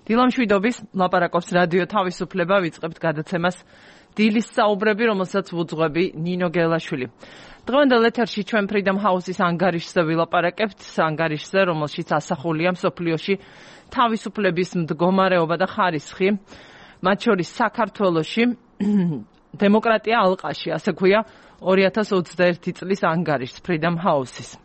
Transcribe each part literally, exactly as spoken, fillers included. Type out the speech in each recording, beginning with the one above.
დილამშვიდობის ლაპარაკობს რადიო თავისუფლება, ვიწყებთ გადაცემას დილის საუბრები, რომელსაც ვუძღვები ნინო გელაშვილი. დღევანდელ ეთერში ჩვენ Freedom House-ის ანგარიშზე ვილაპარაკებთ, ანგარიშზე, რომელშიც ასახულია მსოფლიოში თავისუფლების მდგომარეობა და ხარისხი, მათ შორის საქართველოში დემოკრატია ალყაში, ასე ქვია ორი ათას ოცდაერთი წლის ანგარიშს Freedom House-ის.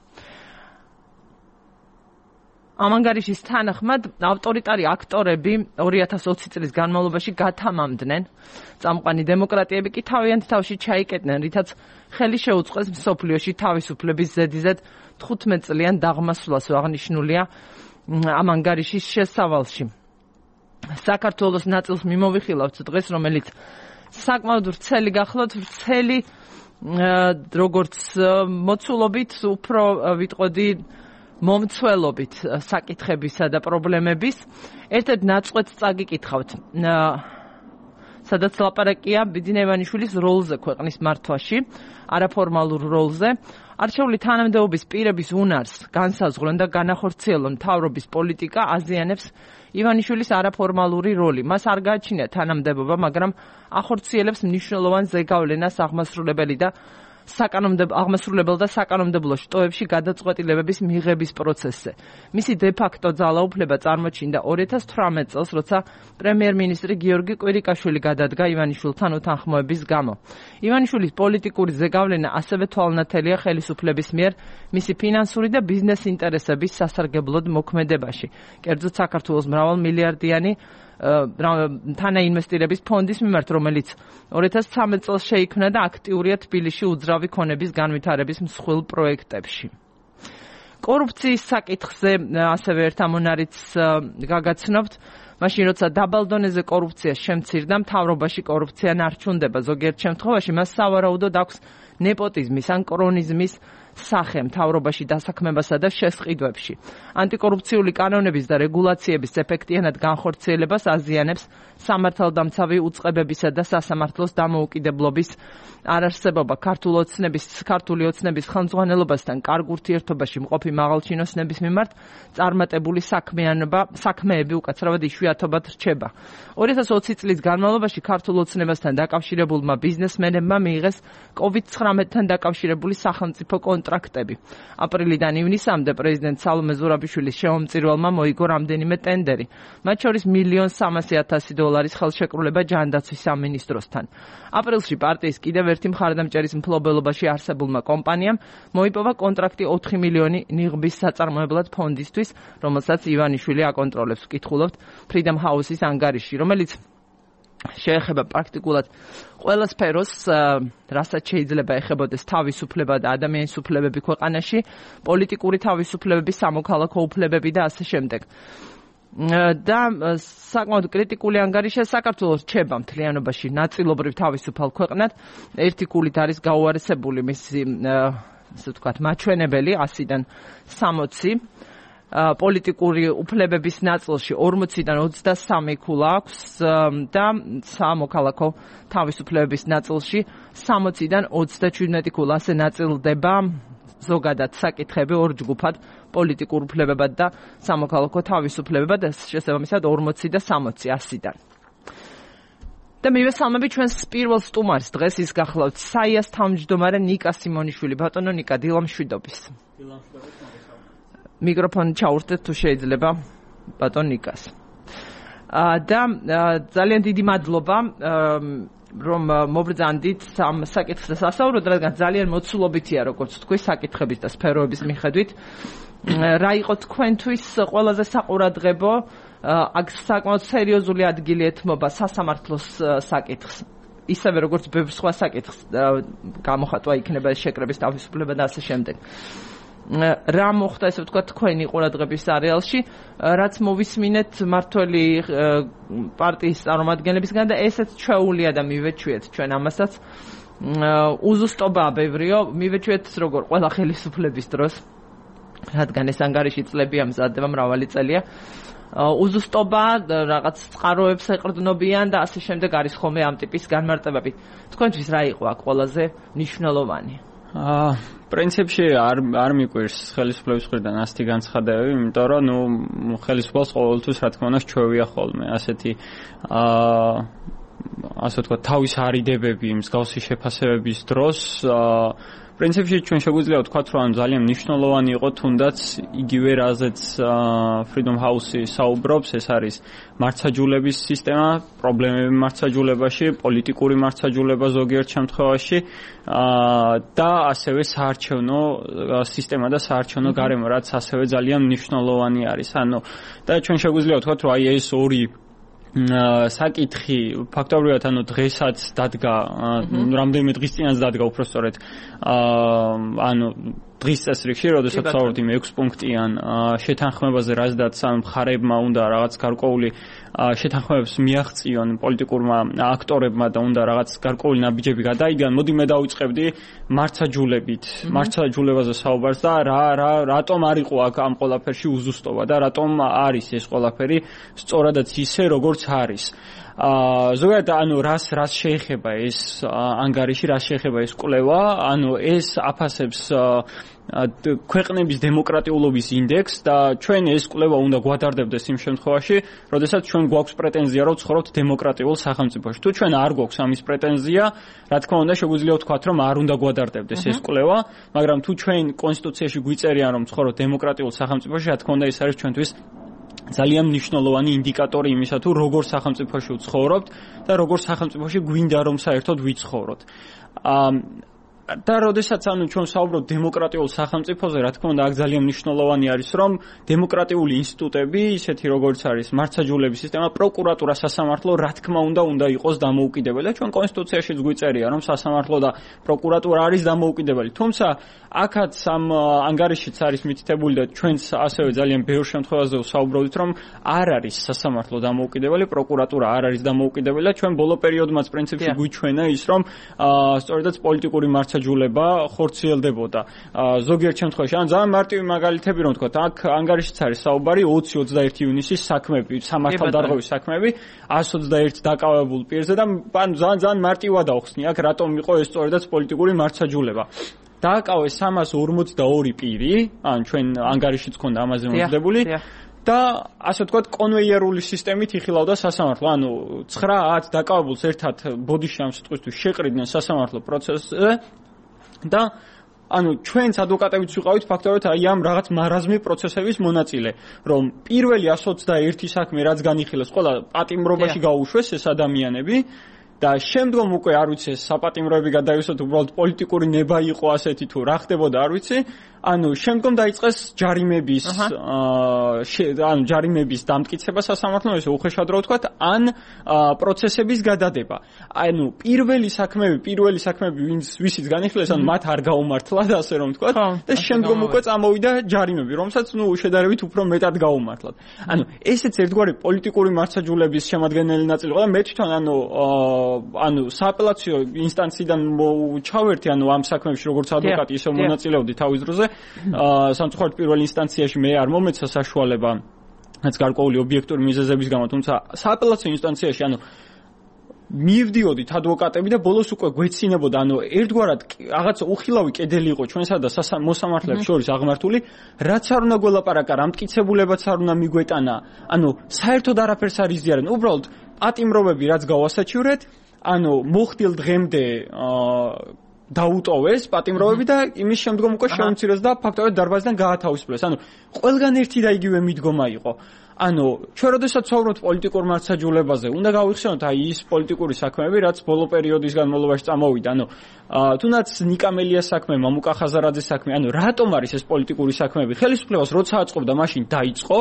ამ ანგარიშის თანახმად ავტორიტარი აქტორები ორი ათას ოცი წლის განმავლობაში გათამამდნენ, წამყვანი დემოკრატიები კი თავიანთ თავში ჩაიკეტნენ, რითაც ხელი შეუწყეს მსოფლიოში თავისუფლების ზედიზედ თხუთმეტ წლიან დაღმასვლას, აღნიშნულია ამ ანგარიშის შესავალში. საქართველოს ნაწილს მიმოვიხილავთ დღეს, რომელიც საკმაოდ ვრცელი გახლავთ, ვრცელი როგორც მოცულობით, უფრო ვიტყოდი მომცველობით საკითხებისა და პრობლემების. ერთ-ერთ ნაწყვეტს წაგიკითხავთ, სადაც ლაპარაკია ბიძინა ივანიშვილის როლზე ქვეყნის მართვაში, არაფორმალურ როლზე. არჩეული თანამდებობის პირების უნარს განსაზღვრონ და განახორციელონ მთავრობის პოლიტიკა აზიანებს ივანიშვილის არაფორმალური როლი. მას არ გააჩნია თანამდებობა, მაგრამ ახორციელებს მნიშვნელოვან ზეგავლენას აღმასრულებელი და აღმასრულებელ და საკანონმდებლო შტოებში გადაწყვეტილებების მიღების პროცესზე. მისი დე-ფაქტო ძალაუფლება წარმოჩინდა ორი ათას თვრამეტ წელს, როცა პრემიერ-მინისტრი გიორგი კვირიკაშვილი გადადგა ივანიშვილთან უთანხმოების გამო. ივანიშვილის პოლიტიკური ზეგავლენა ასევე თვალნათელია ხელისუფლების მიერ მისი ფინანსური და ბიზნეს ინტერესების სასარგებლოდ მოქმედებაში. კერძოდ საქართველოს მრავალმილიარდიანი თანაინვესტირების ფონდის მიმართ, რომელიც ორი ათას ცხრამეტ წელს შეიქმნა და აქტიურია თბილისში უძრავი ქონების განვითარების მსხვილ პროექტებში. კორუფციის საკითხზე ასევე ერთ ამონარიდს გაგაცნობთ. მაშინ, როცა დაბალ დონეზე კორუფცია შემცირდა, მთავრობაში კორუფცია ნარჩუნდება. ზოგიერთ შემთხვევაში მას სავარაუდოდ აქვს ნეპოტიზმის ან კრონიზმის სახე მთავრობაში დასაქმებასა და შესყიდვებში. ანტიკორუფციული კანონების და რეგულაციების ეფექტიანად განხორციელებას აზიანებს სამართალდამცავი უწყებებისა და სასამართლოს დამოუკიდებლობის არარსებობა. ქართული ოცნების ქართული ოცნების ხელმძღვანელობასთან კარგ ურთიერთობაში მყოფი მაღალჩინოსნების მიმართ წარმატებული საქმიანობა საქმეები უკაცრავად იშვიათობად რჩება. ორი ათას ოცი წლის განმავლობაში ქართულ ოცნებასთან დაკავშირებულმა ბიზნესმენებმა მიიღეს კოვიდ ცხრამეტთან დაკავშირებული სახელმწიფო კონტრაქტები. აპრილიდან ივნისამდე პრეზიდენტ სალომე ზურაბიშვილის შემომწირველმა მოიგო რამდენიმე ტენდერი, მათ შორის მილიონ სამასი ათასი დოლარის ხელშეკრულება ჯანდაცვის სამინისტროსთან. აპრილში პარტიის კიდევ ერთი მხარდამჭერის მფლობელობაში არსებულმა კომპანიამ მოიპოვა კონტრაქტი ოთხი მილიონი ნიღბის საწარმოებლად ფონდისთვის, რომელსაც ივანიშვილი აკონტროლებს. ვკითხულობთ Freedom House-ის ანგარიში, რომელიც შეეხება პრაქტიკულად ყველა სფეროს, რასაც შეიძლება ეხებოდეს თავისუფლება და ადამიანის უფლებები ქვეყანაში, პოლიტიკური თავისუფლებები, სამოქალაქო უფლებები და ასე შემდეგ. და საკმაოდ კრიტიკული ანგარიშია, საქართველოს რჩება მთლიანობაში ნაწილობრივ თავისუფალ ქვეყნად. ერთი გულით არის გაუარესებული მისი, ასე ვთქვათ, მაჩვენებელი ასიდან სამოცი. პოლიტიკური უფლებების ნაწილში ორმოციდან ოცდასამი ქულა აქვს და სამოქალაქო თავისუფლებების ნაწილში სამოციდან ოცდაჩვიდმეტი ქულა. ასე ნაწილდება ზოგადად საკითხები ორ ჯგუფად, პოლიტიკურ უფლებებად და სამოქალაქო თავისუფლებებად, შესაბამისად ორმოცი და სამოცი ასიდან. და მივესალმები ჩვენს პირველ სტუმარს დღეს, ის გახლავთ საიას თავმჯდომარე ნიკა სიმონიშვილი. ბატონო ნიკა, დილამშვიდობის. მიკროფონი ჩაურთეთ თუ შეიძლება ბატონ ნიკას. და ძალიან დიდი მადლობა რომ მობრძანდით ამ საკითხზე სასაუბროდ, რადგან ძალიან მოცულობითია, როგორც თქვი, საკითხების და სფეროების მიხედვით. რა იყო თქვენთვის ყველაზე საყურადღებო, აქ საკმაოდ სერიოზული ადგილი ეთმობა სასამართლოს საკითხს, ისევე როგორც ბევრ სხვა საკითხს, გამოხატვა იქნება შეკრების თავისუფლება და ასე შემდეგ. რა მოხდა, ესე ვთქვათ, თქვენი ყურადღების არეალში, რაც მოვისმინეთ მართველი პარტიის წარმომადგენლებისგან და ესეც ჩვეულია და მივეჩვიეთ ჩვენ ამასაც. უზუსტობაა ბევრიო, მივეჩვიეთ როგორ ყველა ხელისუფლების დროს, რადგან ეს ანგარიში წლებია მზადდება, მრავალი წელია. უზუსტობა, რაღაც წყაროებს ეყრდნობიან და ასე შემდეგ არის ხოლმე ამ ტიპის განმარტებები. თქვენთვის რა იყო აქ ყველაზე მნიშვნელოვანი? აა პრინციპში არ არ მიკვირს ხელისუფლების მხრიდან ასეთი განცხადებები, იმიტომ რომ ნუ ხელისუფლებას ყოველთვის რა თქმა უნდა ჩვევია ხოლმე ასეთი აა ასე ვთქვათ თავის არიდებები მსგავსი შეფასებების დროს აა პრინციპში ჩვენ შეგვიძლია ვთქვათ რომ ძალიან მნიშვნელოვანი იყო თუნდაც იგივე რაზეც Freedom House-ი საუბრობს, ეს არის მართლმსაჯულების სისტემა, პრობლემები მართლმსაჯულებაში, პოლიტიკური მართლმსაჯულება ზოგიერთ შემთხვევაში და ასევე საარჩევნო სისტემა და საარჩევნო გარემო, რაც ასევე ძალიან მნიშვნელოვანი არის. ანუ და ჩვენ შეგვიძლია ვთქვათ რომ აი ეს ორი საკითხი ფაქტობრივად ანუ დღესაც დადგა რამდენიმე დღის წინაც დადგა უბრალოდ ანუ დღის წესრიგში, როდესაც საუბრობთ იმ ექვს პუნქტიან შეთანხმებაზე, რაზედაც ამ მხარეებმა უნდა რაღაც გარკვეული შეთანხმებებს მიაღწიონ პოლიტიკურმა აქტორებმა და უნდა რაღაც გარკვეული ნაბიჯები გადაიგან. მოდი მე დავიწყებდი მართლმსაჯულებით, მართლმსაჯულებაზე საუბარს და რა რა რატომ არ იყო აქ ამ ყველაფერში უზუსტობა და რატომ არის ეს ყველაფერი სწორადაც ისე როგორც არის. აა ზოგადად ანუ რას რას შეეხება ეს ანგარიში, რას შეეხება ეს კვლევა, ანუ ეს აფასებს ქვეყნების დემოკრატიულობის ინდექსს და ჩვენ ეს კვლევა უნდა გვადარდებდეს იმ შემთხვევაში, როდესაც ჩვენ გვაქვს პრეტენზია, რომ ვცხოვრობთ დემოკრატიულ სახელმწიფოში. თუ ჩვენ არ გვაქვს ამის პრეტენზია, რა თქმა უნდა, შეგვიძლია ვთქვათ, რომ არ უნდა გვადარდებდეს ეს კვლევა, მაგრამ თუ ჩვენ კონსტიტუციაში გვიწერიან, რომ ვცხოვრობთ დემოკრატიულ სახელმწიფოში, რა თქმა უნდა, ეს არის ჩვენთვის ძალიან მნიშვნელოვანი ინდიკატორი იმისა, თუ როგორ სახელმწიფოში ვცხოვრობთ და როგორ სახელმწიფოში გვინდა რომ საერთოდ ვიცხოვროთ. აა და როდესაც ანუ ჩვენ საუბრობთ დემოკრატიულ სახელმწიფოზე, რა თქმა უნდა, აქ ძალიან მნიშვნელოვანი არის, რომ დემოკრატიული ინსტიტუტები, ისეთი როგორც არის მართლმსაჯულების სისტემა, პროკურატურა, სასამართლო, რა თქმა უნდა, უნდა იყოს დამოუკიდებელი. ჩვენ კონსტიტუციაშიც გვიწერია, რომ სასამართლო და პროკურატურა არის დამოუკიდებელი. თუმცა აქაც ამ ანგარიშიც არის მითითებული და ჩვენც ასევე ძალიან ბევრ შემთხვევაზე ვსაუბრობთ, რომ არ არის სასამართლო დამოუკიდებელი, პროკურატურა არ არის დამოუკიდებელი და ჩვენ ბოლო პერიოდმაც პრინციპში გვიჩვენა ის, რომ სწორედაც პოლიტიკური მართლმსაჯულება ხორციელდებოდა. ზოგიერთ შემთხვევაში, ან ძალიან მარტივი მაგალითები რომ ვთქვათ, აქ ანგარიშიც არის საუბარი ოცი ოცდაერთი ივნისის საქმეები, სამართალდარღვევის საქმეები, ას ოცდაერთი დაკავებულ პირზე და ან ძალიან ძალიან მარტივად ავხსნი აქ რატომ იყო ეს სწორედაც პოლიტიკური მართლმსაჯულება. დააკავეს სამას ორმოცდაორი პირი, ან ჩვენ ანგარიშიც ქონდა ამაზე მომზადებული. და ასე ვთქვათ, კონვეიერული სისტემით იხილავდა სასამართლო. ანუ ცხრა ათ დაკავებულს ერთად ბოდიში ამ სიტყვისთვის შეყრიდნენ სასამართლო პროცესზე და ანუ ჩვენც ადვოკატებიც ვიყავით ფაქტობრივად აი ამ რაღაც მარაზმი პროცესების მონაწილე, რომ პირველი ას ოცდაერთი საქმე რაც განიხილეს, ყველა პატიმრობაში გაუშვეს ეს ადამიანები და შემდგომ უკვე არ ვიცი ეს საპატიმროები გადაივსოთ, უბრალოდ პოლიტიკური ნება იყო ასეთი თუ რა ხდებოდა არ ვიცი. ანუ შემდგომ დაიწყეს ჯარიმების აა ანუ ჯარიმების დამტკიცება სასამართლომ, ესე უხეშად რო ვთქვათ, ან პროცესების გადადება. ანუ პირველი საქმეები, პირველი საქმეები ვინც ვისიც განიხილეს, ანუ მათ არ გაუმართლათ, ასე რომ ვთქვათ, და შემდგომ უკვე წამოვიდა ჯარიმები, რომელსაც ნუ შედარებით უფრო მეტად გაუმართლათ. ანუ ესეც ერთგვარი პოლიტიკური მართლმსაჯულების შემადგენელი ნაწილი იყო და მე თვითონ ანუ ანუ სააპელაციო ინსტანციიდან ჩავერთი, ანუ ამ საქმეებში როგორც ადვოკატი ისე მონაწილეობდი თავის დროზე. აა სამწუხაროდ პირველ ინსტანციაში მე არ მომეცა საშუალება რაც გარკვეული ობიექტური მიზეზების გამო, თუმცა სააპელაციო ინსტანციაში ანუ მივდიოდით ადვოკატები და ბოლოს უკვე გვეცინებოდა, ანუ ერთგვარად რაღაც უხილავი კედელი იყო ჩვენსა და მოსამართლეებს შორის აღმართული, რაც არ უნდა გველაპარაკა, რა მტკიცებულებაც არ უნდა მიგვეტანა, ანუ საერთოდ არაფერს არ იზიარენ, უბრალოდ პატიმრობები რაც გავასაჩივრეთ, ანუ მოხდილ დღემდე აა დაუტოვეს პატიმრობები და იმის შემდგომ უკვე შეუმცირეს და ფაქტობრივად დარბაზიდან გაათავისუფლეს. ანუ ყველგან ერთი და იგივე მიდგომა იყო. ანუ ჩვენ როდესაც ვსაუბრობთ პოლიტიკურ მართლმსაჯულებაზე, უნდა გავიხსენოთ აი ის პოლიტიკური საქმეები, რაც ბოლო პერიოდის განმავლობაში წამოვიდა. ანუ თუნდაც ნიკამელიას საქმე, მამუკა ხაზარაძის საქმე, ანუ რატომ არის ეს პოლიტიკური საქმეები? ხელისუფლებას როცა აწყობდა, მაშინ დაიწყო,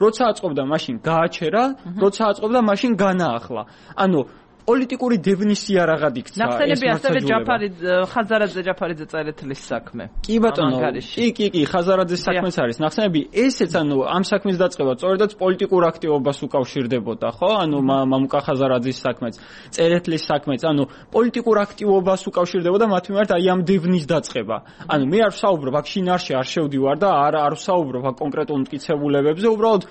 როცა აწყობდა, მაშინ გააჩერა, როცა აწყობდა, მაშინ განაახლა. ანუ პოლიტიკური დევნისია რაღაც იქცა. ნახსენები ასევე ჯაფარი ხაზარაძე ჯაფარიძე წერეთლის საქმე. კი ბატონო, კი კი კი ხაზარაძის საქმეც არის. ნახსენები ესეც ანუ ამ საქმის დაწყება სწორედაც პოლიტიკურ აქტივობას უკავშირდებოდა, ხო? ანუ მამუკა ხაზარაძის საქმეც, წერეთლის საქმეც, ანუ პოლიტიკურ აქტივობას უკავშირდებოდა მათ მიმართ აი ამ დევნის დაწყება. ანუ მე არ ვსაუბრობ აქ შინაარსში არ შევდივარ და არ არ ვსაუბრობ აქ კონკრეტულ მტკიცებულებებზე, უბრალოდ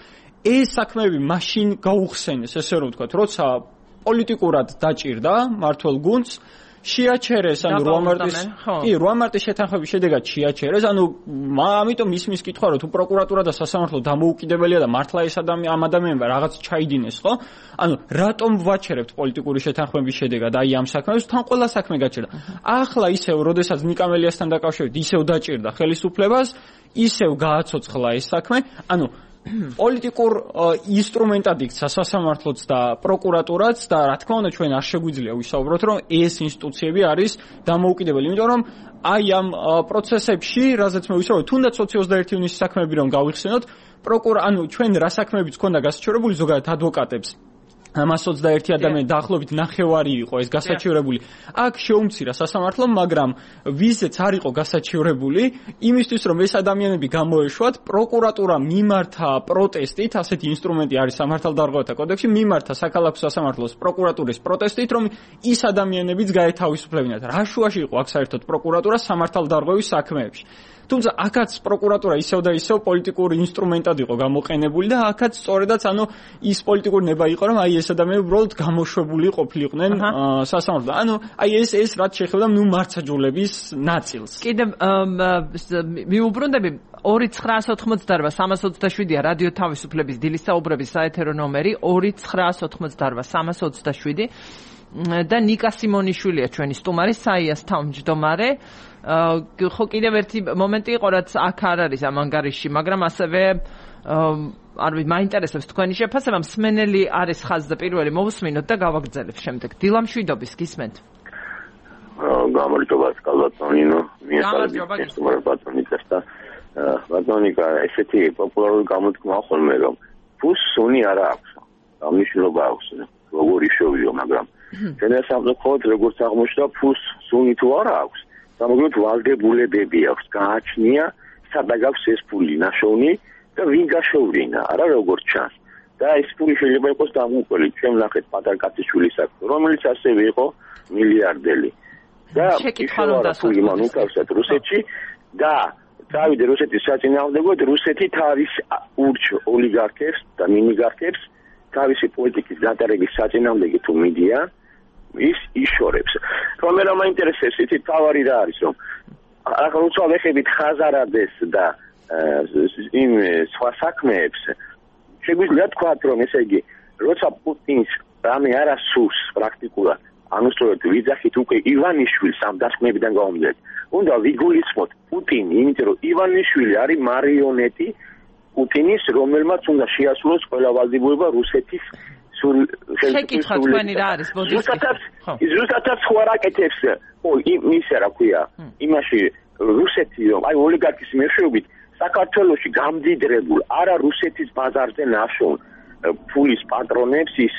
ეს საქმეები მაშინ გაუხსენეს, ესე რომ ვთქვათ, როცა პოლიტიკურად დაჭირდა მართლ გუნდს შეაჩერეს, ანუ რვა მარტის კი, რვა მარტის შეთანხმების შედეგად შეაჩერეს, ანუ ამიტომ ის მის კითხვა რომ თუ პროკურატურა და სასამართლო დამოუკიდებელია და მართლა ეს ადამიანი ამ ადამიანმა რაღაც ჩაიდინეს, ხო? ანუ რატომ ვაჩერებთ პოლიტიკური შეთანხმების შედეგად აი ამ საქმეს, თან ყველა საქმე გაჩერდა. ახლა ისევ, როდესაც ნიკამელიასთან დაკავშირებით ისევ დაჭირდა ხელისუფლებას, ისევ გააცოცხლა ეს საქმე, ანუ პოლიტიკურ ინსტრუმენტად იქცა სასამართლოც და პროკურატურაც და რა თქმა უნდა ჩვენ არ შეგვიძლია ვისაუბროთ რომ ეს ინსტიტუციები არის დამოუკიდებელი, იმიტომ რომ აი ამ პროცესებში, რაზეც მე ვისაუბრე, თუნდაც ოცი ოცდაერთი ივნისის საქმეები რომ გავიხსენოთ, პროკურა, ანუ ჩვენ რა საქმეებიც ქონდა გასაჩივრებული ზოგადად ადვოკატებს ამას ოცდაერთი ადამიანი დაახლოებით ნახევარი იყო ეს გასაჩივრებული. აქ შეუმცირა სასამართლომ, მაგრამ ვიზეც არ იყო გასაჩივრებული, იმისთვის რომ ეს ადამიანები გამოეშვათ, პროკურატურა მიმართა პროტესტით, ასეთი ინსტრუმენტი არის სამართალდარღვევათა კოდექსში, მიმართა საქალაქო სასამართლოს პროკურატურის პროტესტით, რომ ის ადამიანებიც გაეთავისუფლებინათ. რა შუაში იყო აქ საერთოდ პროკურატურა სამართალდარღვევის საქმეებში. თუმცა აქაც პროკურატურა ისევ და ისევ პოლიტიკურ ინსტრუმენტად იყო გამოყენებული და აქაც სწორედაც ანუ ის პოლიტიკური ნება იყო რომ აი ეს ადამიანები უბრალოდ გამოშვებული ყოფილიყვნენ სასამართლო. ანუ აი ეს ეს რაც შეეხება ნუ მართლმსაჯულების ნაწილს. კიდევ მიუბრუნდები ორი ცხრაას ოთხმოცდაორვა სამას ოცდაშვიდია რადიო თავისუფლების დილის საუბრების საეთერო ნომერი ორი ცხრაას ოთხმოცდაორვა სამას ოცდაშვიდი და ნიკა სიმონიშვილია ჩვენი სტუმარი, საიას თავმჯდომარე. ხო კიდევ ერთი მომენტი იყო რაც აქ არ არის ამ ანგარიშში, მაგრამ ასევე არ ვიცი, მაინტერესებს თქვენი შეფასება, მსმენელი არის ხაზზე პირველი მოვუსმინოთ და გავაგრძელებ შემდეგ. დილა მშვიდობის გისმენთ. გამარჯობა კალბატონინო, მიესალმებით სტუმარ ბატონიკას და ბატონიკა ესეთი პოპულარული გამოთქმა ხოლმე რომ ფუს სუნი არ აქვს. ამნიშნულობა აქვს, როგორი შოვიო, მაგრამ ჩვენ სამწუხაროდ როგორც აღმოჩნდა ფუს სუნი თუ არ აქვს. სამაგროთ ვალდებულებები აქვს, გააჩნია სადაც აქვს ეს ფული ნაშოვნი და ვინ გაშოვლინა, არა როგორც ჩანს. და ეს ფული შეიძლება იყოს დამუკველი, ჩვენ ვნახეთ პატარ კაციშვილის საქმე, რომელიც ასევე იყო მილიარდელი. და ფული მან უკავსეთ რუსეთში და წავიდა რუსეთის საწინააღმდეგოდ, რუსეთი თავის ურჩ ოლიგარქებს და მინიგარქებს თავისი პოლიტიკის გატარების საწინააღმდეგო თუ მიდიან ის იშორებს. რომ მე მაინტერესებს იცით თავარი რა არის რომ ახლა უცხო ვეხებით ხაზარადეს და იმ სხვა საქმეებს შეგვიძლია თქვათ რომ ესე იგი როცა პუტინს რამე არ ასურს პრაქტიკულად ანუ სწორედ ვიძახით უკვე ივანიშვილს ამ დასკვნებიდან გამომდინარე უნდა ვიგულისხმოთ პუტინი იმიტომ რომ ივანიშვილი არის მარიონეტი პუტინის რომელმაც უნდა შეასრულოს ყველა ვალდებულება რუსეთის შეკითხვა თქვენი რა არის ზუსტად ზუსტად სხვა რაკეთებს ო იმისა რა ქვია იმაში რუსეთი რომ აი ოლიგარქის მეშვეობით საქართველოში გამდიდრებულ არა რუსეთის ბაზარზე ნაშოვნ ფულის პატრონებს ის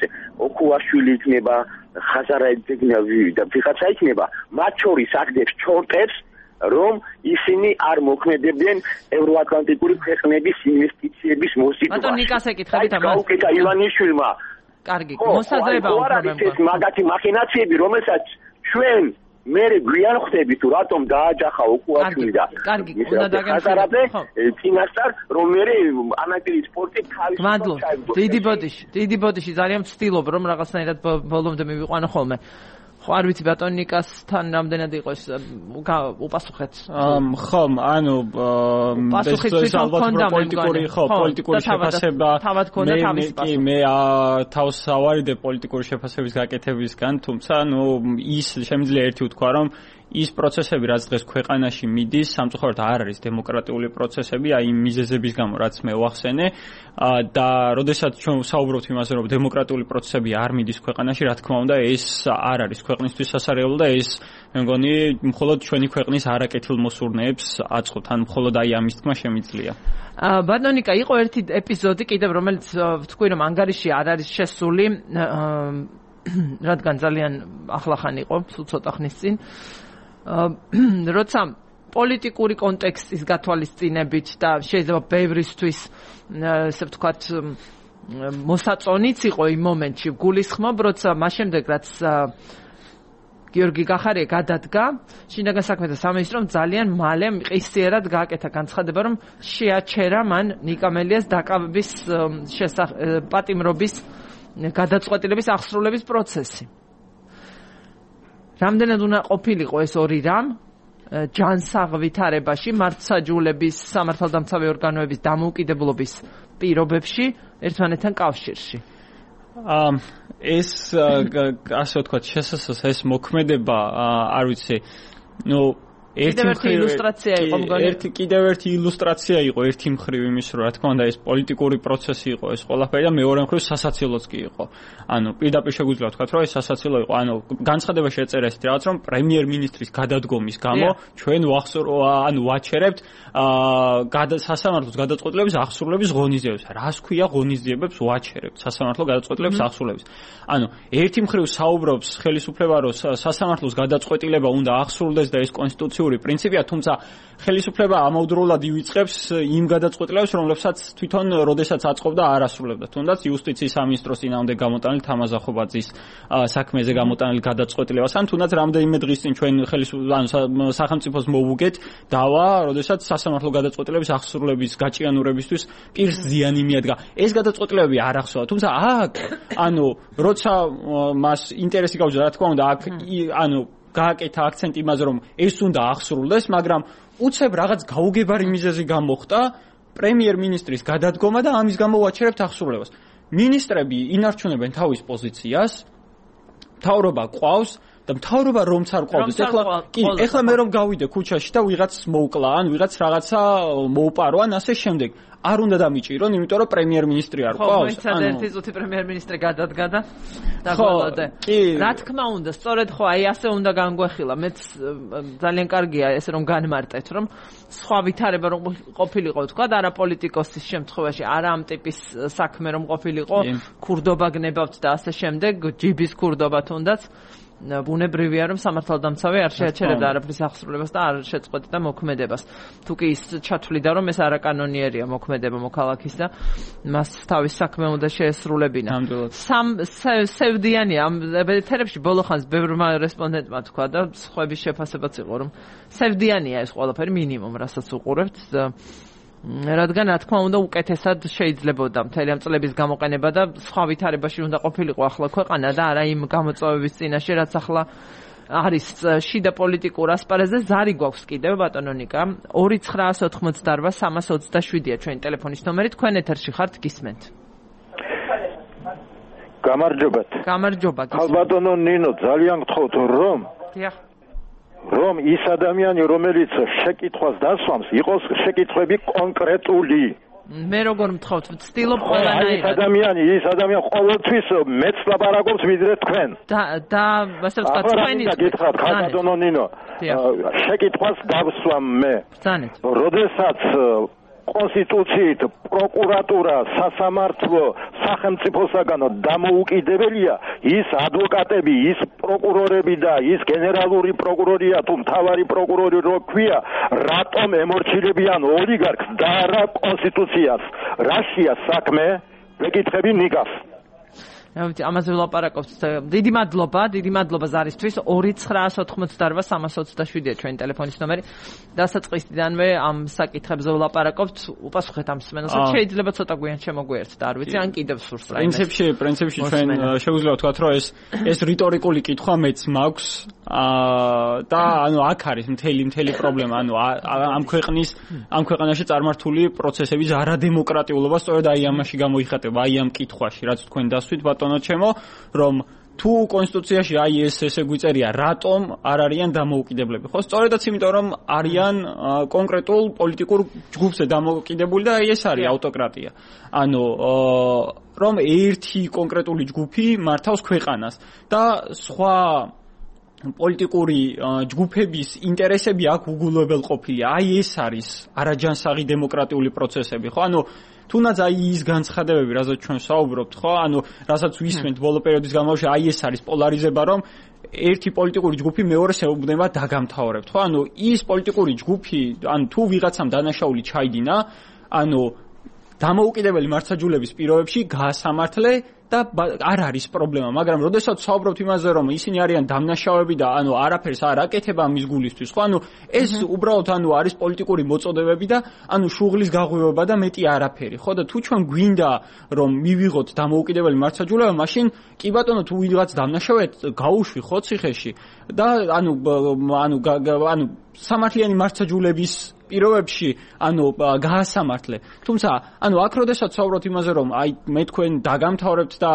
ოქუაშვილი იქნება ხაზარაიძე და ვიღაცა იქნება მათ შორის აგდებს ჩორტებს რომ ისინი არ მოქმედებდნენ ევროატლანტიკური ქვეყნების ინვესტიციების მოსიტვაში. ბატონ ნიკას ეკითხებით ამას. გაუკეთა ივანიშვილმა. კარგი, მოსაზრება უბრალოდ ეს მაგათი მახინაციები, რომელსაც ჩვენ მე გვიან ხვდები თუ რატომ დააჯახა ოქუაშვილი და კარგი, უნდა დაგემშვიდობ. წინასწარ რომ მე ანაკირი სპორტი თავის მადლობა. დიდი ბოდიში, დიდი ბოდიში ძალიან ვცდილობ რომ რაღაცნაირად ბოლომდე მივიყვანო ხოლმე. ხო არ ვიცი ბატონიკასთან რამდენად იყო ეს უპასუხეთ ხო ანუ ეს ალბათ პოლიტიკური ხო პოლიტიკური შეფასება მე მე თავს ავარიდე პოლიტიკური შეფასების გაკეთებისგან თუმცა ნუ ის შემიძლია ერთი ვთქვა რომ ის პროცესები რაც დღეს ქვეყანაში მიდის სამწუხაროდ არ არის დემოკრატიული პროცესები აი იმ მიზეზების გამო რაც მე ვახსენე და როდესაც ჩვენ საუბრობთ იმაზე რომ დემოკრატიული პროცესები არ მიდის ქვეყანაში რა თქმა უნდა ეს არ არის ქვეყნისთვის სასარგებლო და ეს მე მგონი მხოლოდ ჩვენი ქვეყნის არაკეთილმოსურნეებს აწყობთ ან მხოლოდ აი ამის თქმა შემიძლია ბატონიკა იყო ერთი ეპიზოდი კიდევ რომელიც ვთქვი რომ ანგარიში არ არის შესული რადგან ძალიან ახლახან იყო სულ ცოტა ხნის წინ როცა პოლიტიკური კონტექსტის გათვალისწინებით და შეიძლება ბევრისთვის ესე ვთქვათ მოსაწონიც იყო იმ მომენტში გულისხმობ როცა მას შემდეგ რაც გიორგი გახარია გადადგა შინაგან საქმეთა სამინისტრომ ძალიან მალე მყისიერად გააკეთა განცხადება რომ შეაჩერა მან ნიკამელიას დაკავების პატიმრობის გადაწყვეტილების აღსრულების პროცესი რამდენად უნდა ყოფილიყო ეს ორი რამ ჯანსაღვითარებაში მართლმსაჯულების სამართალდამცავი ორგანოების დამოუკიდებლობის პირობებში ერთმანეთთან კავშირში. ამ ეს ასე ვთქვათ შესაძლოა ეს მოქმედება არ ვიცი ნუ ერთი ილუსტრაცია იყო მგონი ერთი კიდევ ერთი ილუსტრაცია იყო ერთი მხრივ იმის რომ რა თქმა უნდა ეს პოლიტიკური პროცესი იყო ეს ყველაფერი და მეორე მხრივ სასაცილოც კი იყო ანუ პირდაპირ შეგვიძლია ვთქვათ რომ ეს სასაცილო იყო ანუ განცხადებაში ეწერა ესეთი რაღაც რომ პრემიერ-მინისტრის გადადგომის გამო ჩვენ ანუ ვაჩერებთ სასამართლოს გადაწყვეტილების აღსრულების ღონისძიებებს რას ქვია ღონისძიებებს ვაჩერებთ სასამართლო გადაწყვეტილების აღსრულების ანუ ერთი მხრივ საუბრობს ხელისუფლება რომ სასამართლოს გადაწყვეტილება უნდა აღსრულდეს და ეს კონსტიტუციური პრინციპია, თუმცა ხელისუფლება ამავდროულად ივიწყებს იმ გადაწყვეტილებებს, რომლებსაც თვითონ როდესაც აწყობდა არ ასრულებდა. თუნდაც იუსტიციის სამინისტროს წინააღმდეგ გამოტანილი თამაზახობაძის საქმეზე გამოტანილი გადაწყვეტილებას, ან თუნდაც რამდენიმე დღის წინ ჩვენ ხელისუფლებას სახელმწიფოს მოვუგეთ დავა, როდესაც სასამართლო გადაწყვეტილების აღსრულების გაჭიანურებისთვის პირს ზიანი მიადგა. ეს გადაწყვეტილებები არ ახსოვა, თუმცა აქ, ანუ როცა მას ინტერესი გაუჩნდა, რა თქმა უნდა, აქ ანუ გააკეთა აქცენტი იმაზე, რომ ეს უნდა აღსრულდეს, მაგრამ უცებ რაღაც გაუგებარი მიზეზი გამოხდა პრემიერ-მინისტრის გადადგომა და ამის გამო ვაჩერებთ აღსრულებას. მინისტრები ინარჩუნებენ თავის პოზიციას, მთავრობა ყავს და მთავრობა რომც არ ყავდეს, ეხლა კი, ეხლა მე რომ გავიდე ქუჩაში და ვიღაც მოუკლა, ან ვიღაც რაღაცა მოუპარო, ან ასე შემდეგ. არ უნდა დამიჭირონ, იმიტომ რომ პრემიერ-მინისტრი არ ყავს. ხო, მოიცადე ერთი წუთი პრემიერ-მინისტრი გადადგა და დაგვალოდე. რა თქმა უნდა, სწორედ ხო, აი ასე უნდა განგვეხილა. მეც ძალიან კარგია ეს რომ განმარტეთ, რომ სხვა ვითარება რომ ყოფილიყო, თქვა, არა პოლიტიკოსის შემთხვევაში, არა ამ ტიპის საქმე რომ ყოფილიყო, ქურდობა გნებავთ და ასე შემდეგ, ჯიბის ქურდობა თუნდაც. ბუნებრივია რომ სამართალდამცავი არ შეაჩერებდა არაფრის აღსრულებას და არ შეწყვეტდა მოქმედებას. თუ კი ის ჩათვლიდა რომ ეს არაკანონიერია მოქმედება მოქალაქის და მას თავის საქმე უნდა შეესრულებინა. სამ სევდიანია ამ ეთერებში ბოლოხანს ბევრმა რესპონდენტმა თქვა და სხვების შეფასებაც იყო რომ სევდიანია ეს ყველაფერი მინიმუმ რასაც უყურებთ და რადგან რა თქმა უნდა უკეთესად შეიძლებოდა მთელი ამ წლების გამოყენება და სხვა ვითარებაში უნდა ყოფილიყო ახლა ქვეყანა და არა იმ გამოწვევების წინაშე რაც ახლა არის შიდა პოლიტიკურ ასპარეზზე ზარი გვაქვს კიდევ ბატონო ნიკა ორი ცხრაას ოთხმოცდაარბა სამას ოცდაშვიდია ჩვენი ტელეფონის ნომერი თქვენ ეთერში ხართ გისმენთ გამარჯობათ გამარჯობა ბატონო ნინო ძალიან გთხოვთ რომ დიახ რომ ის ადამიანი რომელიც შეკითხვას დასვამს იყოს შეკითხვები კონკრეტული მე როგორ მთხოვთ ვცდილობ ყველანაირად ის ადამიანი ის ადამიანი ყოველთვის მეც ლაპარაკობს ვიდრე თქვენ და და ასე ვთქვათ თქვენი გითხრათ ბატონო ნინო შეკითხვას დავსვამ მე ბრძანეთ როდესაც კონსტიტუციით პროკურატურა სასამართლო სახელმწიფოსაგან დამოუკიდებელია ის ადვოკატები ის პროკურორები და ის გენერალური პროკურორია თუ მთავარი პროკურორი რო ქვია რატომ ემორჩილებიან ოლიგარქს და არა კონსტიტუციას რაშია საქმე ვეკითხები ნიკას ამაზე ვლაპარაკობთ. დიდი მადლობა, დიდი მადლობა ზარისთვის. ორი ცხრაას ოთხმოცდაარბა სამას ოცდაშვიდია ჩვენი ტელეფონის ნომერი. დასაწყისიდანვე ამ საკითხებზე ვლაპარაკობთ. უპასუხეთ ამ მსმენელს. შეიძლება ცოტა გვიან შემოგვიერთდა, არ ვიცი, ან კიდევ სურს რა. პრინციპში, პრინციპში ჩვენ შეგვიძლია ვთქვათ, რომ ეს ეს რიტორიკული კითხვა მეც მაქვს. აა და ანუ აქ არის მთელი მთელი პრობლემა. ანუ ამ ქვეყნის ამ ქვეყანაში წარმართული პროცესების არადემოკრატიულობა სწორედ აი ამაში გამოიხატება, აი ამ კითხვაში, რაც თქვენ დასვით ბატონო ჩემო, რომ თუ კონსტიტუციაში აი ეს ესე გვიწერია, რატომ არ არიან დამოუკიდებლები? ხო, სწორედაც იმიტომ, რომ არიან კონკრეტულ პოლიტიკურ ჯგუფზე დამოუკიდებული და აი ეს არის ავტოკრატია. ანუ რომ ერთი კონკრეტული ჯგუფი მართავს ქვეყანას და სხვა პოლიტიკური ჯგუფების ინტერესები აქ უგულებელყოფილია. აი ეს არის არაჯანსაღი დემოკრატიული პროცესები, ხო? ანუ თუნდაც აი ის განცხადებები, რასაც ჩვენ საუბრობთ, ხო? ანუ რასაც ვისმენთ ბოლო პერიოდის განმავლობაში, აი ეს არის პოლარიზება, რომ ერთი პოლიტიკური ჯგუფი მეორეს ეუბნება დაგამთავრებთ, ხო? ანუ ის პოლიტიკური ჯგუფი, ანუ თუ ვიღაცამ დანაშაული ჩაიდინა, ანუ დამოუკიდებელი მართლმსაჯულების პირობებში გაასამართლე და არ არის პრობლემა, მაგრამ როდესაც საუბრობთ იმაზე, რომ ისინი არიან დამნაშავეები და ანუ არაფერს არ აკეთება მის გულისთვის, ხო? ანუ ეს უბრალოდ ანუ არის პოლიტიკური მოწოდებები და ანუ შუღლის გაღვივება და მეტი არაფერი, ხო? და თუ ჩვენ გვინდა რომ მივიღოთ დამოუკიდებელი მართლმსაჯულება, მაშინ კი ბატონო თუ ვიღაც დამნაშავედ გაუშვი ხო ციხეში და ანუ ანუ ანუ სამართლიანი მართლმსაჯულების პირობებში ანუ გაასამართლე. თუმცა ანუ აქ როდესაც საუბრობთ იმაზე რომ აი მე თქვენ დაგამთავრებთ და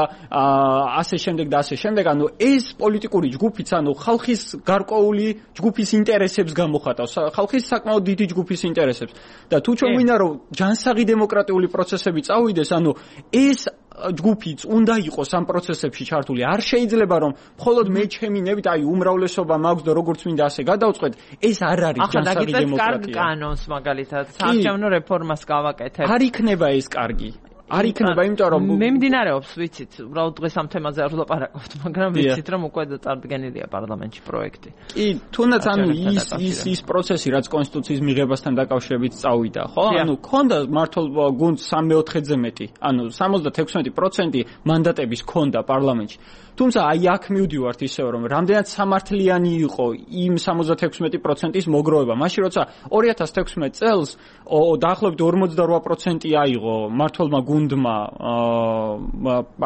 ასე შემდეგ და ასე შემდეგ ანუ ეს პოლიტიკური ჯგუფიც ანუ ხალხის გარკვეული ჯგუფის ინტერესებს გამოხატავს ხალხის საკმაოდ დიდი ჯგუფის ინტერესებს და თუ ჩვენ ვინდა რომ ჯანსაღი დემოკრატიული პროცესები წავიდეს ანუ ეს ჯგუფიც უნდა იყოს ამ პროცესებში ჩართული. არ შეიძლება რომ მხოლოდ მე ჩემი ნებით აი უმრავლესობა მაქვს და როგორც მინდა ასე გადავწყვეტ, ეს არ არის ჯანსაღი დემოკრატია. ახლა კანონს მაგალითად საარჩევნო რეფორმას გავაკეთებ. არ იქნება ეს კარგი. არ იქნება, იმიტომ რომ მე მიმდინარეობს, ვიცით, უბრალოდ დღეს ამ თემაზე არ ვლაპარაკობთ, მაგრამ ვიცით რომ უკვე წარდგენილია პარლამენტში პროექტი. კი, თუნდაც ანუ ის ის ის პროცესი, რაც კონსტიტუციის მიღებასთან დაკავშირებით წავიდა, ხო? ანუ ქონდა მართლ გუნდს სამეოთხედზე მეტი, ანუ სამოცდათექვსმეტი პროცენტი მანდატების ქონდა პარლამენტში. თუმცა აი აქ მივდივართ ისევ რომ რამდენად სამართლიანი იყო იმ სამოცდათექვსმეტი პროცენტის მოგროვება. მაშინ როცა ორი ათას თექვსმეტ წელს დაახლოებით ორმოცდარვა პროცენტი აიღო მართლმა გუნდმა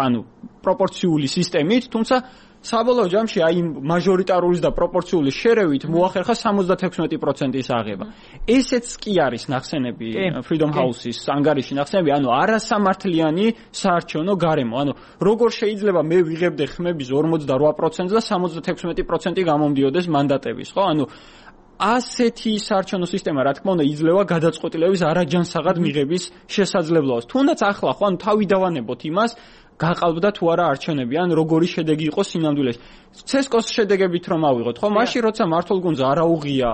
ანუ პროპორციული სისტემით, თუმცა საბოლოო ჯამში აი მაჟორიტარულის და პროპორციული შერევით მოახერხა სამოცდათექვსმეტი პროცენტის აღება. ესეც კი არის ნახსენები Freedom House-ის ანგარიში ნახსენები, ანუ არასამართლიანი საარჩევნო გარემო. ანუ როგორ შეიძლება მე ვიღებდე ხმების ორმოცდარვა პროცენტს და სამოცდათექვსმეტი პროცენტი გამომდიოდეს მანდატების, ხო? ანუ ასეთი საარჩევნო სისტემა, რა თქმა უნდა, იძლევა გადაწყვეტილების არაჯანსაღად მიღების შესაძლებლობას. თუნდაც ახლა ხო ანუ თავი დავანებოთ იმას გაყალბდა თუ არა არჩევნები, ან როგორი შედეგი იყო სინამდვილეში. ცესკოს შედეგებით რომ ავიღოთ, ხო? მაშინ როცა მართლ გუნდს არ აუღია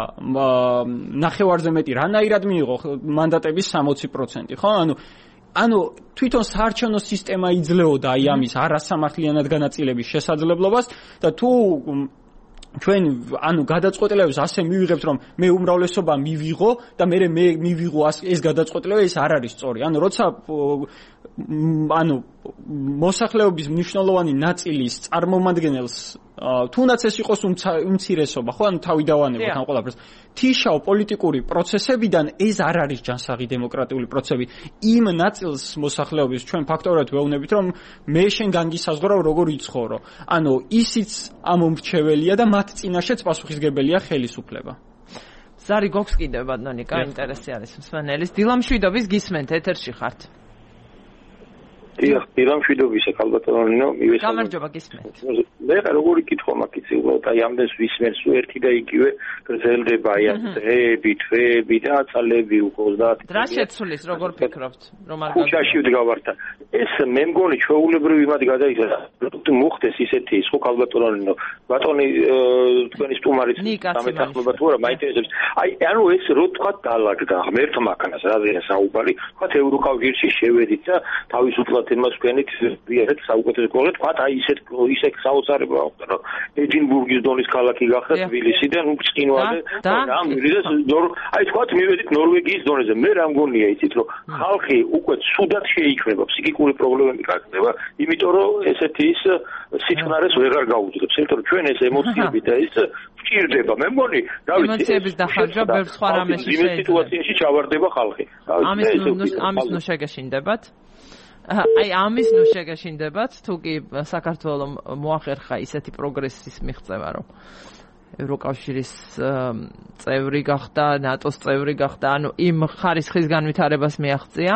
ნახევარზე მეტი, რანაირად მიიღო მანდატების სამოცი პროცენტი, ხო? ანუ ანუ თვითონ საარჩევნო სისტემა იძლეოდა აი ამის არასამართლიანად განაწილების შესაძლებლობას და თუ ჩვენ ანუ გადაწყვეტილებას ასე მივიღებთ რომ მე უმრავლესობა მივიღო და მე მე მივიღო ეს გადაწყვეტილება ეს არ არის სწორი. ანუ როცა ანუ მოსახლეობის მნიშვნელოვანი ნაწილის წარმომადგენელს თუნდაც ეს იყოს უმცირესობა, ხო? ანუ თავი დავანებოთ ამ ყველაფერს. თიშავ პოლიტიკური პროცესებიდან ეს არ არის ჯანსაღი დემოკრატიული პროცესები. იმ ნაწილს მოსახლეობის ჩვენ ფაქტორად ვეუბნებით, რომ მე შენ განგისაზღვრავ როგორ იცხოვრო. ანუ ისიც ამომრჩეველია და მათ წინაშეც პასუხისგებელია ხელისუფლება. ზარი გოქს კიდევ ბატონიკა, ინტერესი არის მსმენელის. დილამშვიდობის გისმენთ, ეთერში ხართ. დიახ, დილამშვიდობისა, ქალბატონო, მივესალმებით. გამარჯობა, გისმენთ. მე როგორი კითხვა მაქვს, უბრალოდ აი ამდენს ვისმენს, ერთი და იგივე გრძელდება აი დღეები, თვეები და წლები უკვე ოცდაათი. რა შეცვლის, როგორ ფიქრობთ, რომ არ გაგუჩაში ვდგავართ. ეს მე მგონი ჩვეულებრივი მათ გადაიხადა. თუ მოხდეს ისეთი ის ხო ქალბატონო, ბატონი თქვენი სტუმარიც დამეთანხმება თუ არა, მაინტერესებს. აი ანუ ეს რო თქვა დაალაგდა ღმერთმა ქანას, რაზეა საუბარი, თქვა ევროკავშირში შევედით და თავისუფლად იმას ვქენით, ვიარეთ საუკეთესო გოლი, თქვა აი ისეთ ისე საოცარება აქვს, რომ ედინბურგის დონის ქალაქი გახდა თბილისიდან უწყინვალე და ამირიდეს აი თქვა მივედით ნორვეგიის დონეზე. მე რა მგონია იცით, რომ ხალხი უკვე ცუდად შეიქმნება, ფსიქიკური პრობლემები გაქცევა, იმიტომ რომ ესეთი ის სიჩქარეს ვეღარ გაუძლებს. იმიტომ რომ ჩვენ ეს ემოციები და ის ვჭირდება. მე მგონი, რა ვიცი, ემოციების დახარჯვა ბევრ სხვა რამეში შეიძლება. იმ სიტუაციაში ჩავარდება ხალხი. ამის ამის ნუ შეგეშინდებათ. აი ამის ნუ შეგეშინდებათ, თუ კი საქართველოს მოახერხა ისეთი პროგრესის მიღწევა, რომ ევროკავშირის წევრი გახდა, ნატოს წევრი გახდა, ანუ იმ ხარისხის განვითარებას მიაღწია.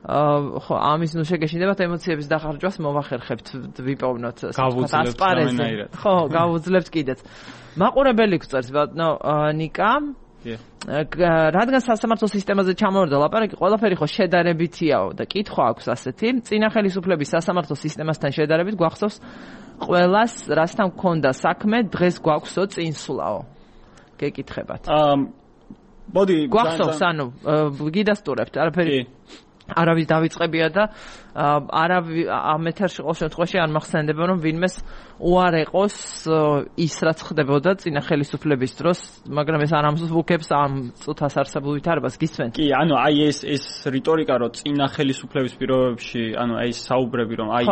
ხო, ამის ნუ შეგეშინდებათ, ემოციების დახარჯვას მოვახერხებთ, ვიპოვნოთ ასპარეზზე. ხო, გავუძლებთ კიდეც. მაყურებელი გწერს, ბატონო ნიკა. რადგან სასამართლო სისტემაზე ჩამოვარდა ლაპარაკი, ყველაფერი ხო შედარებითიაო და კითხვა აქვს ასეთი. წინა ხელისუფლების სასამართლო სისტემასთან შედარებით გვახსოვს ყველას რასთან გქონდა საქმე, დღეს გვაქვსო წინსვლაო. გეკითხებათ. აა მოდი გვახსოვს, ანუ გიდასტურებთ, არაფერი. არავის დავიწყებია და არავი ამ ეთერში ყოველ შემთხვევაში არ მახსენდება რომ ვინმეს უარეყოს ის რაც ხდებოდა წინა ხელისუფლების დროს, მაგრამ ეს არ ამსუბუქებს ამ წუთას არსებულ ვითარებას გისმენთ? კი, ანუ აი ეს ეს რიტორიკა რომ წინა ხელისუფლების პირობებში, ანუ აი ეს საუბრები რომ აი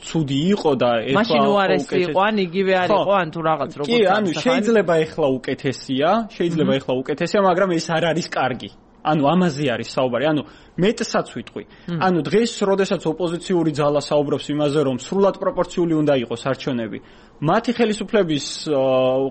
ცუდი იყო და ეხლა მაშინ უარესი იყო, ან იგივე არ იყო, ან თუ რაღაც როგორც კი, ანუ შეიძლება ეხლა უკეთესია, შეიძლება ეხლა უკეთესია, მაგრამ ეს არ არის კარგი. ანუ ამაზე არის საუბარი, ანუ მეტსაც ვიტყვი. ანუ დღეს, როდესაც ოპოზიციური ძალა საუბრობს იმაზე, რომ სრულად პროპორციული უნდა იყოს არჩევნები, მათი ხელისუფლების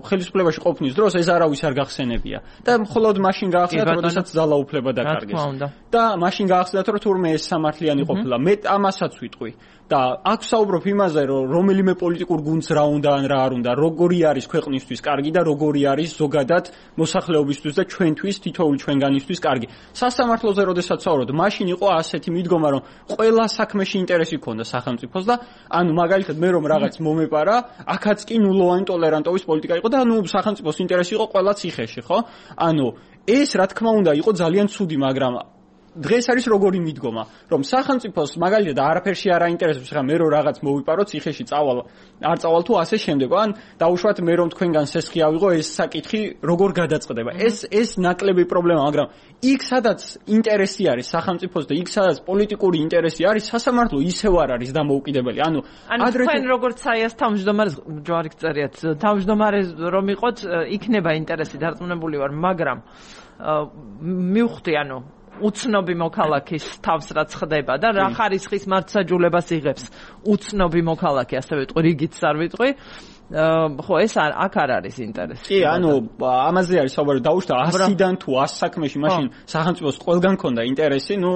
ხელისუფლებაში ყოფნის დროს ეს არავის არ გახსენებია. და მხოლოდ მაშინ გაახსენათ, როდესაც ძალა უფლება დაკარგეს. და მაშინ გაახსენათ, რომ თურმე ეს სამართლიანი ყოფილა. მე ამასაც ვიტყვი. და აქ საუბრობ იმაზე, რომ რომელიმე პოლიტიკურ გუნდს რა უნდა ან რა არ უნდა, როგორი არის ქვეყნისთვის კარგი და როგორი არის ზოგადად მოსახლეობისთვის და ჩვენთვის, თითოეული ჩვენგანისთვის კარგი. სასამართლოზე როდესაც საუბრობ, მაშინ იყო ასეთი მიდგომა, რომ ყველა საქმეში ინტერესი ჰქონდა სახელმწიფოს და ანუ მაგალითად მე რომ რაღაც მომეპარა, აქაც კი ნულოვანი ტოლერანტობის პოლიტიკა იყო და ანუ სახელმწიფოს ინტერესი იყო ყველა ციხეში, ხო? ანუ ეს რა თქმა უნდა იყო ძალიან ცუდი, მაგრამ დღეს არის როგორი მიდგომა, რომ სახელმწიფოს მაგალითად არაფერში არ აინტერესებს, ხა მე რომ რაღაც მოვიპარო ციხეში წავალ, არ წავალ თუ ასე შემდეგ, ან დაუშვათ მე რომ თქვენგან სესხი ავიღო, ეს საკითხი როგორ გადაწყდება. ეს ეს ნაკლები პრობლემა, მაგრამ იქ სადაც ინტერესი არის სახელმწიფოს და იქ სადაც პოლიტიკური ინტერესი არის, სასამართლო ისევ არ არის დამოუკიდებელი. ანუ ადრე თქვენ როგორც საიას თავმჯდომარეს ჯვარი გწერიათ, თავმჯდომარეს რომ იყოთ, იქნება ინტერესი დარწმუნებული ვარ, მაგრამ მივხვდი, ანუ უცნობი მოქალაქის თავს რაც ხდება და რა ხარისხის მართლმსაჯულებას იღებს უცნობი მოქალაქე, ასე ვიტყვი, რიგიც არ ვიტყვი. ხო, ეს აქ არ არის ინტერესი. კი, ანუ ამაზე არის საუბარი, დაუშვათ ასიდან თუ ას საქმეში, მაშინ სახელმწიფოს ყველგან ქონდა ინტერესი, ნუ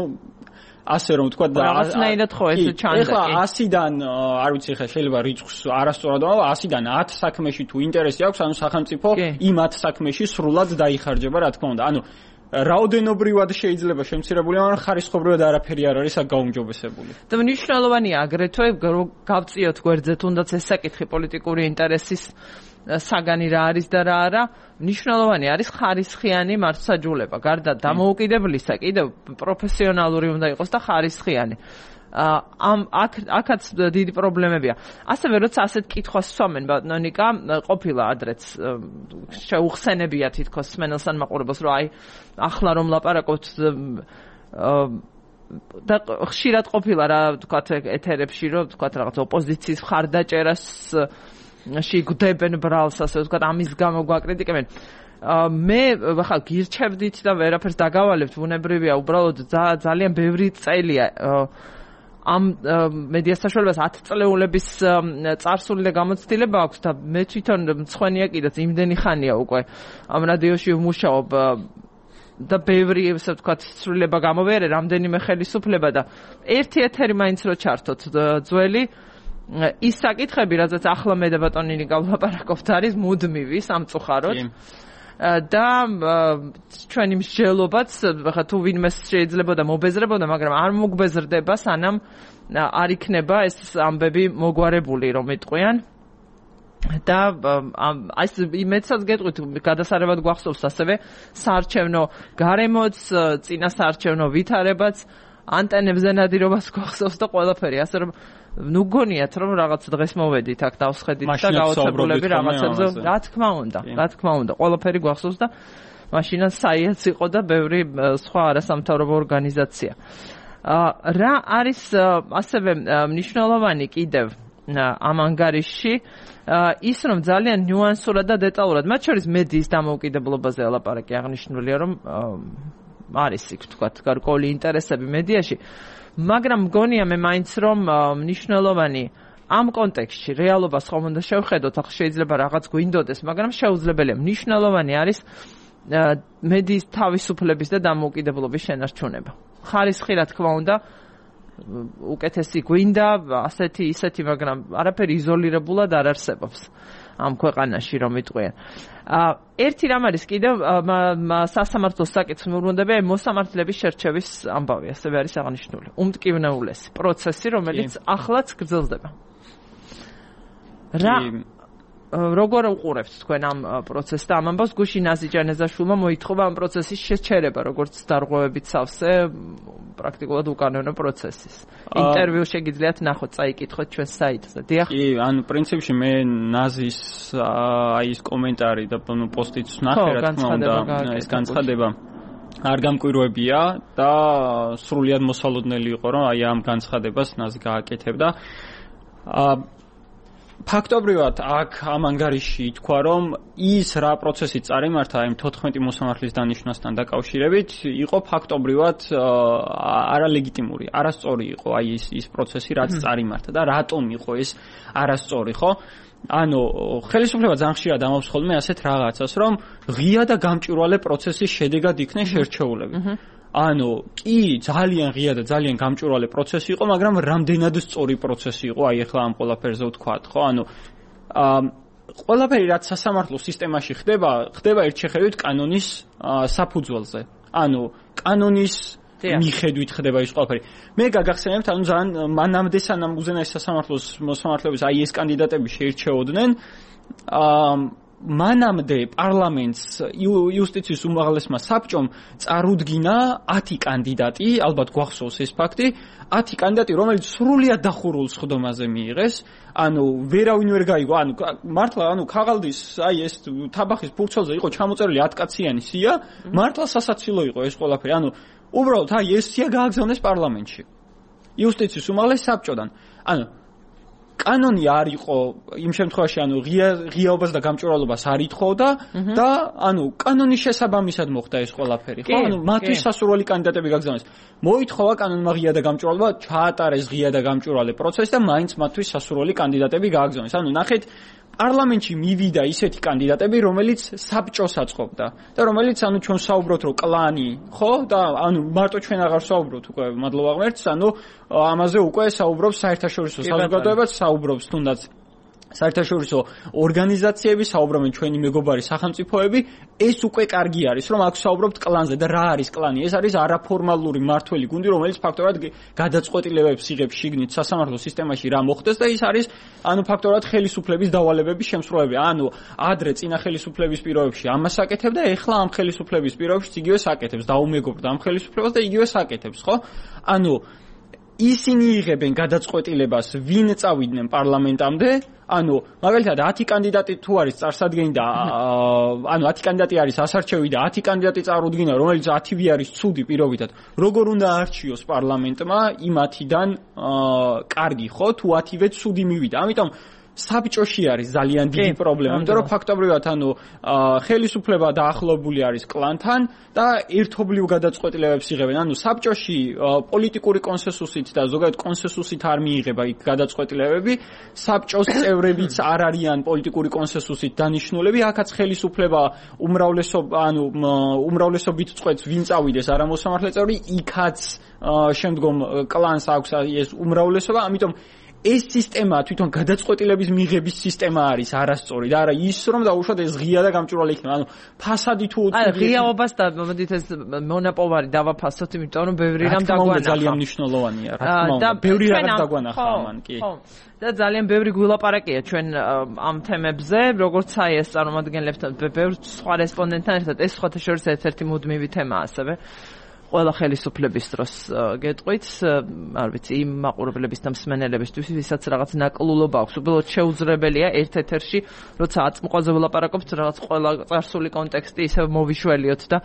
ასე რომ ვთქვა და რაღაცნაირად ხო ეს ჩანდა. ეხლა ასიდან, არ ვიცი, ხა შეიძლება რიცხვს არასწორად ვამბობ, ასიდან ათ საქმეში თუ ინტერესი აქვს, ანუ სახელმწიფო იმ ათ საქმეში სრულად დაიხარჯება, რა თქმა უნდა. ანუ რაოდენობრივად შეიძლება შემცირებული, მაგრამ ხარისხობრივად არაფერი არ არის აქ გაუმჯობესებული. და მნიშვნელოვანია აგრეთვე გავწიოთ გვერდზე თუნდაც ეს საკითხი პოლიტიკური ინტერესის საგანი რა არის და რა არა, მნიშვნელოვანი არის ხარისხიანი მართლმსაჯულება. გარდა დამოუკიდებლისა, კიდევ პროფესიონალური უნდა იყოს და ხარისხიანი. ამ აქ აქაც დიდი პრობლემებია. ასევე როცა ასეთ კითხვას სვამენ ბატონიკა, ყოფილა ადრეც შეუხსენებია თითქოს სმენელსან მაყურებელს, რომ აი ახლა რომ ლაპარაკობთ და ხშირად ყოფილა რა ვთქვათ ეთერებში, რომ ვთქვათ რაღაც ოპოზიციის მხარდაჭერას ში გვდებენ ბრალს, ასე ვთქვათ, ამის გამო გვაკრიტიკებენ. მე ხა გირჩევდით და ვერაფერს დაგავალებთ, ბუნებრივია, უბრალოდ ძალიან ბევრი წელია ამ მედია საშუალებას ათ წლეულების წარსული და გამოცდილება აქვს და მე თვითონ მცხვენია კიდეც იმდენი ხანია უკვე ამ რადიოში ვმუშაობ და ბევრი ესე ვთქვათ ცვლილება გამოვიარე, რამდენიმე ხელისუფლება და ერთი ეთერი მაინც რო ჩართოთ ძველი ის საკითხები, რადგან ახლა მე და ბატონინი გავლაპარაკობთ, არის მუდმივი სამწუხაროდ. და ჩვენი მსჯელობაც ხა თუ ვინმე შეიძლება და მობეზრებოდა, მაგრამ არ მოგბეზრდება, სანამ არ იქნება ეს ამბები მოგვარებული, რომ იტყვიან. და აი მეცაც გეტყვით, გადასარევად გვახსოვს ასევე საარჩევნო გარემოც, წინა საარჩევნო ვითარებაც, ანტენებზე ნადირობას გვახსოვს და ყველაფერი, ასე რომ ნუ გონიათ რომ რაღაც დღეს მოვედით აქ დავსხედით და გავაცებულები რაღაცებზე, რა თქმა უნდა, რა თქმა უნდა, ყველაფერი გვახსოვს და მაშინაც საიაც იყო და ბევრი სხვა არასამთავრობო ორგანიზაცია. რა არის ასევე მნიშვნელოვანი კიდევ ამ ანგარიშში, ის რომ ძალიან ნიუანსურად და დეტალურად, მათ შორის მედიის დამოუკიდებლობაზე ელაპარაკი, აღნიშნულია რომ არის იქ თქვათ გარკვეული ინტერესები მედიაში, მაგრამ მგონია მე მაინც რომ მნიშვნელოვანი ამ კონტექსტში რეალობას ხომ უნდა შევხედოთ, ახლა შეიძლება რაღაც გვინდოდეს, მაგრამ შეუძლებელია. მნიშვნელოვანი არის მედიის თავისუფლების და დამოუკიდებლობის შენარჩუნება. ხარისხი რა თქმა უნდა უკეთესი გვინდა, ასეთი ისეთი, მაგრამ არაფერი იზოლირებულად არ არსებობს ამ ქვეყანაში, რომ იტყვიან. ერთი რამ არის კიდევ სასამართლოს საკითხი მოვლენდება მოსამართლეების შერჩევის ამბავი, ასევე არის აღნიშნული. უმტკივნეულესი პროცესი, რომელიც ახლაც გრძელდება. რა როგორ უყურებთ თქვენ ამ პროცესს და ამ ამბავს გუშინ ნაზი ჯანეზაშვილმა მოითხოვა ამ პროცესის შეჩერება, როგორც დარღვევებით სავსე პრაქტიკულად უკანონო პროცესის. ინტერვიუ შეგიძლიათ ნახოთ, წაიკითხოთ ჩვენ საიტზე. დიახ. კი, ანუ პრინციპში მე ნაზის აი ეს კომენტარი და პოსტიც ნახე, რა თქმა უნდა, ეს განცხადება არ გამკვირვებია და სრულიად მოსალოდნელი იყო, რომ აი ამ განცხადებას ნაზი გააკეთებდა. აა ფაქტობრივად აქ ამ ანგარიში ითქვა, რომ ის რა პროცესი წარიმართა იმ თოთხმეტი მოსამართლის დანიშვნასთან დაკავშირებით, იყო ფაქტობრივად არალეგიტიმური, არასწორი იყო აი ის ის პროცესი, რაც წარიმართა და რატომ იყო ეს არასწორი, ხო? ანუ ხელისუფლება ძალიან ხშირად ამბობს ხოლმე ასეთ რაღაცას, რომ ღია და გამჭვირვალე პროცესის შედეგად იქნენ შერჩეულები. ანუ კი ძალიან ღია და ძალიან გამჭვირვალე პროცესი იყო, მაგრამ რამდენად სწორი პროცესი იყო, აი ახლა ამ ყველაფერზე ვთქვათ, ხო? ანუ აა ყველაფერი რაც სასამართლო სისტემაში ხდება, ხდება ერთშეხევით კანონის საფუძველზე. ანუ კანონის მიხედვით ხდება ის ყველაფერი. მე გაგახსენებთ, ანუ ძალიან მანამდე სანამ უზენაეს სასამართლოს მოსამართლეების აი ეს კანდიდატები შეირჩეოდნენ, აა მანამდე პარლამენტს იუსტიციის უმაღლესმა საბჭომ წარუდგინა ათი კანდიდატი, ალბათ გვახსოვს ეს ფაქტი, ათი კანდიდატი, რომელიც სრულიად დახურულ სხდომაზე მიიღეს, ანუ ვერავინ ვერ გაიგო, ანუ მართლა ანუ ქაღალდის აი ეს თაბახის ფურცელზე იყო ჩამოწერილი ათკაციანი სია, მართლა სასაცილო იყო ეს ყველაფერი, ანუ უბრალოდ აი ეს სია გააგზავნეს პარლამენტში. იუსტიციის უმაღლეს საბჭოდან. ანუ კანონი არ იყო იმ შემთხვევაში, ანუ ღია ღიაობას და გამჭვირვალობას არ ითხოვდა და ანუ კანონის შესაბამისად მოხდა ეს ყველაფერი, ხო? ანუ მათთვის სასურველი კანდიდატები გაგზავნეს. მოითხოვა კანონმა ღია და გამჭვირვალობა, ჩაატარეს ღია და გამჭვირვალე პროცესი და მაინც მათთვის სასურველი კანდიდატები გააგზავნეს. ანუ ნახეთ, პარლამენტში მივიდა ისეთი კანდიდატები, რომელიც საბჭოს აწყობდა და რომელიც ანუ ჩვენ საუბრობთ, რომ კლანი, ხო? და ანუ მარტო ჩვენ აღარ საუბრობთ უკვე, მადლობა ღმერთს, ანუ ამაზე უკვე საუბრობს საერთაშორისო საზოგადოებაც, საუბრობს თუნდაც საერთაშორისო ორგანიზაციები, საუბრობენ ჩვენი მეგობარი სახელმწიფოები, ეს უკვე კარგი არის, რომ აქ საუბრობთ კლანზე და რა არის კლანი? ეს არის არაფორმალური მმართველი გუნდი, რომელიც ფაქტობრივად გადაწყვეტილებებს იღებს შიგნით სასამართლო სისტემაში რა მოხდეს და ის არის ანუ ფაქტობრივად ხელისუფლების დავალებების შემსრულებელი. ანუ ადრე წინა ხელისუფლების პირობებში ამას აკეთებდა, ეხლა ამ ხელისუფლების პირობებში იგივე საკეთებს, დაუმეგობრდა ამ ხელისუფლებას და იგივე საკეთებს, ხო? ანუ ისინი იღებენ გადაწყვეტილებას, ვინ წავიდნენ პარლამენტამდე, ანუ მაგალითად ათი კანდიდატი თუ არის წარსადგენი და ანუ ათი კანდიდატი არის ასარჩევი და ათი კანდიდატი წარუდგინა, რომელიც ათივე არის ცუდი პირობითად, როგორ უნდა არჩიოს პარლამენტმა იმ ათიდან კარგი, ხო, თუ ათივე ცუდი მივიდა. ამიტომ საბჭოში არის ძალიან დიდი პრობლემა, იმიტომ რომ ფაქტობრივად ანუ ხელისუფლება დაახლოებული არის კლანთან და ერთობლივ გადაწყვეტილებებს იღებენ. ანუ საბჭოში პოლიტიკური კონსენსუსით და ზოგადად კონსენსუსით არ მიიღება იქ გადაწყვეტილებები, საბჭოს წევრებიც არ არიან პოლიტიკური კონსენსუსით დანიშნულები, აქაც ხელისუფლება უმრავლესობა ანუ უმრავლესობით წყვეტს ვინ წავიდეს არამოსამართლე წევრი, იქაც შემდგომ კლანს აქვს ეს უმრავლესობა, ამიტომ ეს სისტემა თვითონ გადაწყვეტილების მიღების სისტემა არის არასწორი და არა ის რომ დაუშვათ ეს ღია და გამჭვირვალე იქნება. ანუ ფასადი თუ აი ღიაობას და მოდით ეს მონაპოვარი დავაფასოთ, იმიტომ რომ ბევრი რამ დაგვანახა. ძალიან მნიშვნელოვანია, რა თქმა უნდა. ბევრი რაღაც დაგვანახა ამან, კი. ხო. და ძალიან ბევრი გვილაპარაკია ჩვენ ამ თემებზე, როგორც აი ეს წარმომადგენლებთან, ბევრ სხვა რესპონდენტთან ერთად, ეს სხვათა შორის ერთ-ერთი მუდმივი თემაა ასევე. ყველა ხელისუფლების დროს გეტყვით, არ ვიცი, იმ მაყურებლების და მსმენელებისთვის, ვისაც რაღაც ნაკლულობა აქვს, უბრალოდ შეუძლებელია ერთ ეთერში, როცა აწმყოზე ვლაპარაკობთ, რაღაც ყველა წარსული კონტექსტი ისევ მოვიშველიოთ და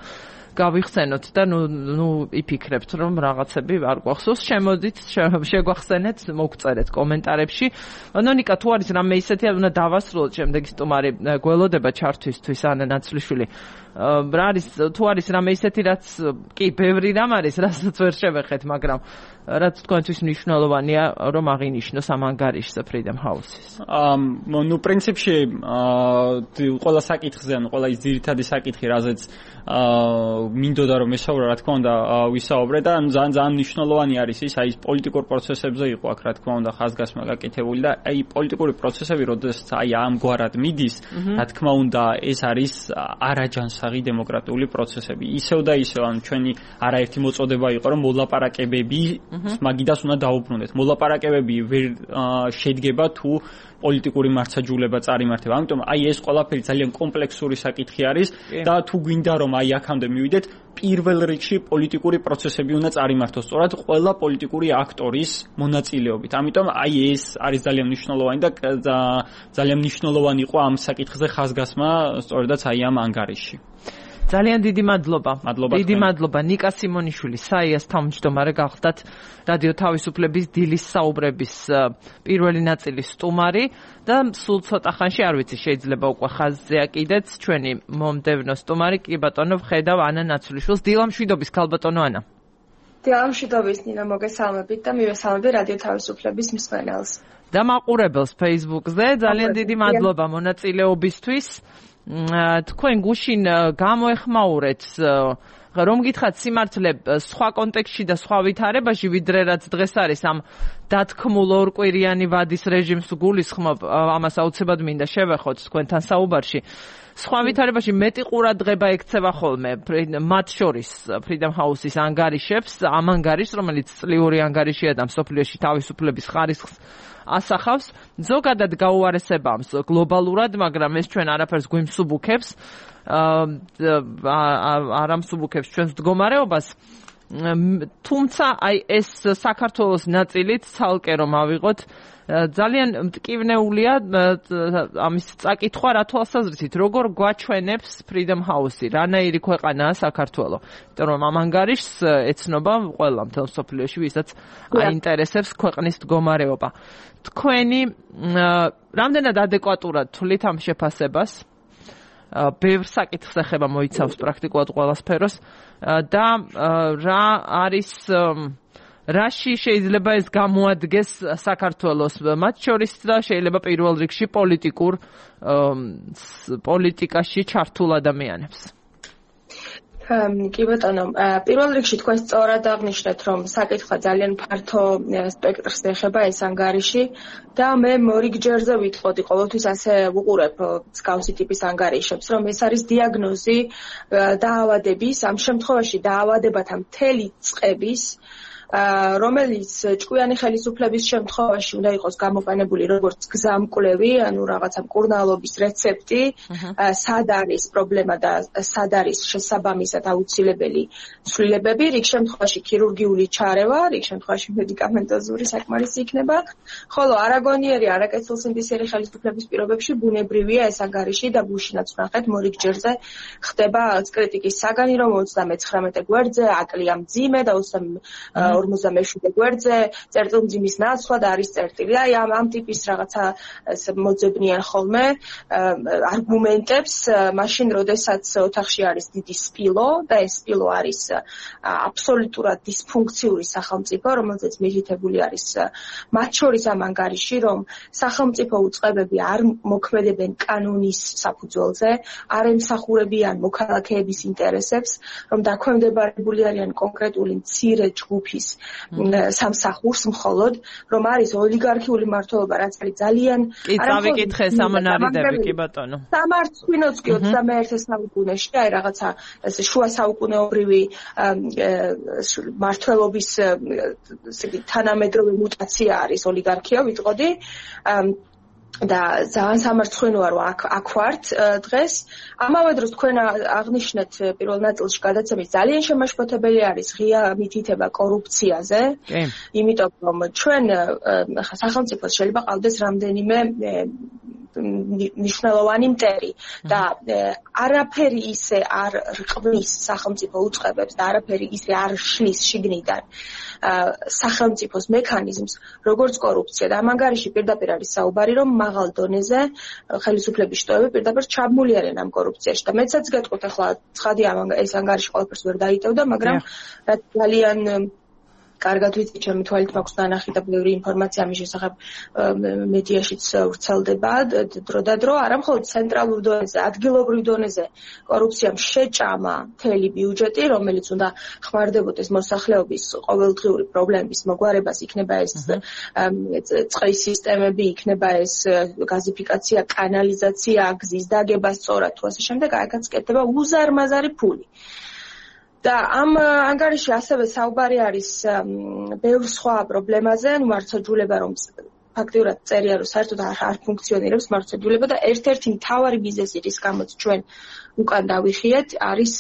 გავიხსენოთ და ნუ ნუ იფიქრებთ, რომ რაღაცები არ გვახსოვს, შემოდით, შეგვახსენეთ, მოგწერეთ კომენტარებში. ნონიკა, თუ არის რამე ისეთი, უნდა დავასრულოთ შემდეგი სტუმარი გველოდება ჩართვისთვის, ანა ნაცვლიშვილი. რა არის თუ არის რამე ისეთი, რაც კი ბევრი რამ არის, რასაც ვერ შევეხეთ, მაგრამ რაც თქვენთვის მნიშვნელოვანია, რომ აღინიშნოს ამ ანგარიშზე Freedom House-ის. აა ნუ პრინციპში აა ყველა საკითხზე, ანუ ყველა ის ძირითადი საკითხი, რაზეც აა მინდოდა რომ ესაუბრა, რა თქმა უნდა, ვისაუბრე და ძალიან ძალიან მნიშვნელოვანი არის ის, აი პოლიტიკურ პროცესებზე იყო აქ, რა თქმა უნდა, ხაზგასმა გაკეთებული და აი პოლიტიკური პროცესები, როდესაც აი ამგვარად მიდის, რა თქმა უნდა, ეს არის არაჯანსაღი დემოკრატიული პროცესები. ისევ და ისევ, ანუ ჩვენი არაერთი მოწოდება იყო, რომ მოლაპარაკებები მაგიდას უნდა დაუბრუნდეთ. მოლაპარაკებები ვერ შედგება თუ პოლიტიკური მარცხაჯულება წარიმართება. ამიტომ აი ეს ყველაფერი ძალიან კომპლექსური საკითხი არის და თუ გვინდა რომ აი აქამდე მივიდეთ, პირველ რიგში პოლიტიკური პროცესები უნდა წარიმართოს სწორად ყველა პოლიტიკური აქტორის მონაწილეობით. ამიტომ აი ეს არის ძალიან მნიშვნელოვანი და ძალიან მნიშვნელოვანი იყო ამ საკითხზე ხაზგასმა სწორედაც აი ამ ანგარიში. ძალიან დიდი მადლობა. მადლობა დიდი მადლობა ნიკა სიმონიშვილი, საიას თავმჯდომარე გახდათ რადიო თავისუფლების დილის საუბრების პირველი ნაწილის სტუმარი და სულ ცოტა ხანში არ ვიცი შეიძლება უკვე ხაზზეა კიდეც ჩვენი მომდევნო სტუმარი კი ბატონო ვხედავ ანა ნაცვლიშვილს. დილამშვიდობის ქალბატონო ანა. დილამშვიდობის ნინა მოგესალმებით და მივესალმები რადიო თავისუფლების მსმენელს. და მაყურებელს Facebook-ზე ძალიან დიდი მადლობა მონაწილეობისთვის. თქვენ გუშინ გამოეხმაურეთ რომ გითხრათ სიმართლე სხვა კონტექსტში და სხვა ვითარებაში ვიდრე რაც დღეს არის ამ დათქმულ ორკვირიანი ვადის რეჟიმს გულისხმობ ამას აუცილებლად მინდა შევეხოთ თქვენთან საუბარში სხვა ვითარებაში მეტი ყურადღება ექცევა ხოლმე მათ შორის Freedom House-ის ანგარიშებს ამ ანგარიშს რომელიც წლიური ანგარიშია და მსოფლიოში თავისუფლების ხარისხს ასახავს ზოგადად გაუარესებამს გლობალურად მაგრამ ეს ჩვენ არაფერს გვიმსუბუქებს არ ამსუბუქებს ჩვენს მდგომარეობას თუმცა აი ეს საქართველოს ნაწილით ცალკე რომ ავიღოთ ძალიან მტკივნეულია ამის წაკითხვა რა თვალსაზრისით როგორ გვაჩვენებს Freedom House-ი რანაირი ქვეყანაა საქართველო იმიტომ რომ ამ ანგარიშს ეცნობა ყველა მთელ მსოფლიოში ვისაც აინტერესებს ქვეყნის მდგომარეობა თქვენი რამდენად ადეკვატურად თვლით ამ შეფასებას ბევრ საკითხს ეხება მოიცავს პრაქტიკულად ყველა სფეროს და რა არის რაში შეიძლება ეს გამოადგეს საქართველოს მათ შორის და შეიძლება პირველ რიგში პოლიტიკურ პოლიტიკაში ჩართულ ადამიანებს კი ბატონო, პირველ რიგში თქვენ სწორად აღნიშნეთ, რომ საკითხი ძალიან ფართო სპექტრს ეხება ეს ანგარიში და მე მორიგჯერზე ვიტყოდი, ყოველთვის ასე ვუყურებ მსგავსი ტიპის ანგარიშებს, რომ ეს არის დიაგნოზი დაავადების, ამ შემთხვევაში დაავადებათა მთელი წყების რომელიც ჭკვიანი ხელისუფლების შემთხვევაში უნდა იყოს გამოყენებული როგორც გზამკვლევი, ანუ რაღაცა მკურნალობის რეცეპტი, სად არის პრობლემა და სად არის შესაბამისად აუცილებელი ცვლილებები, რიგ შემთხვევაში ქირურგიული ჩარევა, რიგ შემთხვევაში მედიკამენტოზური საკმარისი იქნება, ხოლო არაგონიერი, არაკეთილსინდისიერი ხელისუფლების პირობებში ბუნებრივია ეს ანგარიში და გუშინაც ვნახეთ მორიგჯერზე ხდება კრიტიკის საგანი, რომ ოცდამეცხრამეტე გვერდზე აკლია მძიმე და ორმოცდამეშვიდე გვერდზე წერტილმძიმის ნაცვლა და არის წერტილი. აი ამ ამ ტიპის რაღაცა მოძებნიან ხოლმე არგუმენტებს, მაშინ როდესაც ოთახში არის დიდი სპილო და ეს სპილო არის აბსოლუტურად დისფუნქციური სახელმწიფო, რომელზეც მიღითებული არის მათ შორის ამ ანგარიში, რომ სახელმწიფო უწყებები არ მოქმედებენ კანონის საფუძველზე, არ ემსახურებიან მოქალაქეების ინტერესებს, რომ დაქვემდებარებული არიან კონკრეტული მცირე ჯგუფის სამსახურს მხოლოდ, რომ არის ოლიგარქიული მმართველობა, რაც არის ძალიან კი წავიკითხე სამონარიდები კი ბატონო. სამარცხვინოც კი ოცდამეერთე საუკუნეში, აი რაღაცა ესე შუა საუკუნეობრივი მმართველობის თანამედროვე მუტაცია არის ოლიგარქია, ვიტყოდი. და ძალიან სამარცხვინოა რომ აქ აქ ვართ დღეს. ამავე დროს თქვენ აღნიშნეთ პირველ ნაწილში გადაცემის ძალიან შემაშფოთებელი არის ღია მითითება კორუფციაზე. იმიტომ რომ ჩვენ სახელმწიფოს შეიძლება ყავდეს რამდენიმე მნიშვნელოვანი მტერი და არაფერი ისე არ რყმის სახელმწიფო უწყებებს და არაფერი ისე არ შლის შიგნიდან სახელმწიფოს მექანიზმს როგორც კორუფცია და ამ ანგარიში პირდაპირ არის საუბარი რომ მაღალ დონეზე ხელისუფლების შტოები პირდაპირ ჩაბმული არიან ამ კორუფციაში და მეცაც გეტყვით ახლა ცხადია ეს ანგარიში ყველაფერს ვერ დაიტევდა მაგრამ რაც ძალიან კარგად ვიცი, ჩემი თვალით მაქვს დანახი და ბევრი ინფორმაცია ამის შესახებ მედიაშიც ვრცელდება დრო და დრო, არა მხოლოდ ცენტრალურ დონეზე, ადგილობრივ დონეზე კორუფციამ შეჭამა მთელი ბიუჯეტი, რომელიც უნდა ხმარდებოდეს მოსახლეობის ყოველდღიური პრობლემების მოგვარებას, იქნება ეს წყლის სისტემები, იქნება ეს გაზიფიკაცია, კანალიზაცია, გზის დაგება სწორად თუ ასე შემდეგ, აქაც კეთდება უზარმაზარი ფული. და ამ ანგარიში ასევე საუბარი არის ბევრ სხვა პრობლემაზე, ნუ მარცხაჯულება რომ ფაქტიურად წერია, რომ საერთოდ არ ფუნქციონირებს მართლმსაჯულება და ერთ-ერთი მთავარი მიზეზი, რის გამოც ჩვენ უკან დავიხიეთ, არის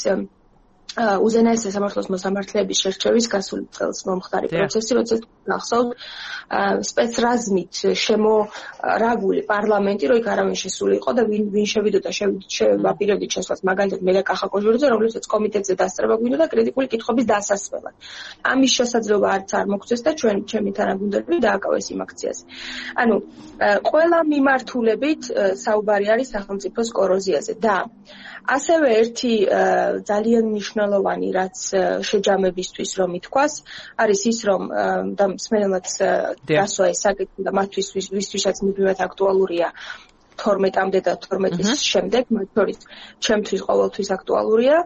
უზენაეს სასამართლოს მოსამართლეების შერჩევის გასული წელს მომხდარი პროცესი, როცა გახსოვთ სპეცრაზმით შემორაგული პარლამენტი, რო იქ არავინ შესული იყო და ვინ ვინ შევიდოდა შევაპირებდით შესვლას, მაგალითად მე და კახა კოჟურიძე, რომლებსაც კომიტეტზე დასწრება გვინდოდა კრიტიკული კითხვების დასასრულად. ამის შესაძლებლობა არც არ მოგწეს და ჩვენ ჩემი თანაგუნდელები დააკავეს იმ აქციაზე. ანუ ყველა მიმართულებით საუბარი არის სახელმწიფოს კოროზიაზე და ასევე ერთი ძალიან მნიშვნელოვანი, რაც შეჯამებისთვის რომ ითქვას, არის ის, რომ და მსმენელმაც დასვა ეს საკითხი და მათთვის ვისთვისაც მუდმივად აქტუალურია თორმეტამდე და თორმეტის შემდეგ, მათ შორის ჩემთვის ყოველთვის აქტუალურია.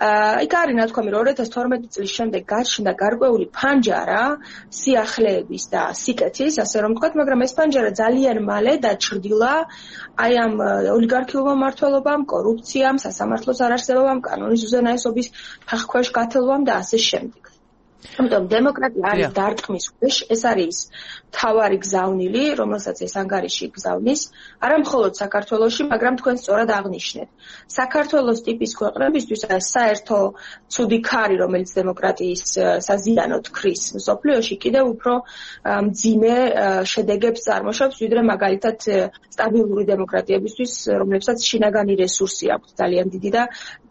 იქ არის ნათქვამი, რომ ორი ათას თორმეტი წლის შემდეგ გაჩნდა გარკვეული ფანჯარა სიახლეების და სიკეთის, ასე რომ ვთქვათ, მაგრამ ეს ფანჯარა ძალიან მალე დაჩრდილა აი ამ ოლიგარქიულმა მმართველობამ, კორუფციამ, სასამართლოს არარსებობამ, კანონის უზენაესობის ფეხქვეშ გათელვამ და ასე შემდეგ. ამიტომ დემოკრატია არის დარტყმის ქვეშ, ეს არის მთავარი გზავნილი, რომელსაც ეს ანგარიში გზავნის, არა მხოლოდ საქართველოში, მაგრამ თქვენ სწორად აღნიშნეთ. საქართველოს ტიპის ქვეყნებისთვის საერთო ცუდი ქარი, რომელიც დემოკრატიის საზიანოდ ქრის მსოფლიოში, კიდევ უფრო მძიმე შედეგებს წარმოშობს, ვიდრე მაგალითად სტაბილური დემოკრატიებისთვის, რომლებსაც შინაგანი რესურსი აქვთ ძალიან დიდი და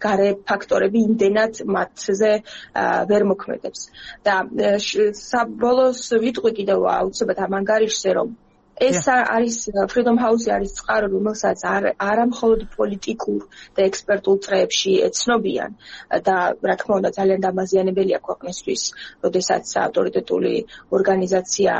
გარე ფაქტორები იმდენად მათზე ვერ მოქმედებს. და საბოლოოს ვიტყვი კიდევ აუცილებლად ამ ანგარიშზე, რომ ეს არის Freedom House არის წყარო, რომელსაც არა მხოლოდ პოლიტიკურ და ექსპერტულ წრეებში ეცნობიან და რა თქმა უნდა ძალიან დამაზიანებელია ქვეყნისთვის, როდესაც ავტორიტეტული ორგანიზაცია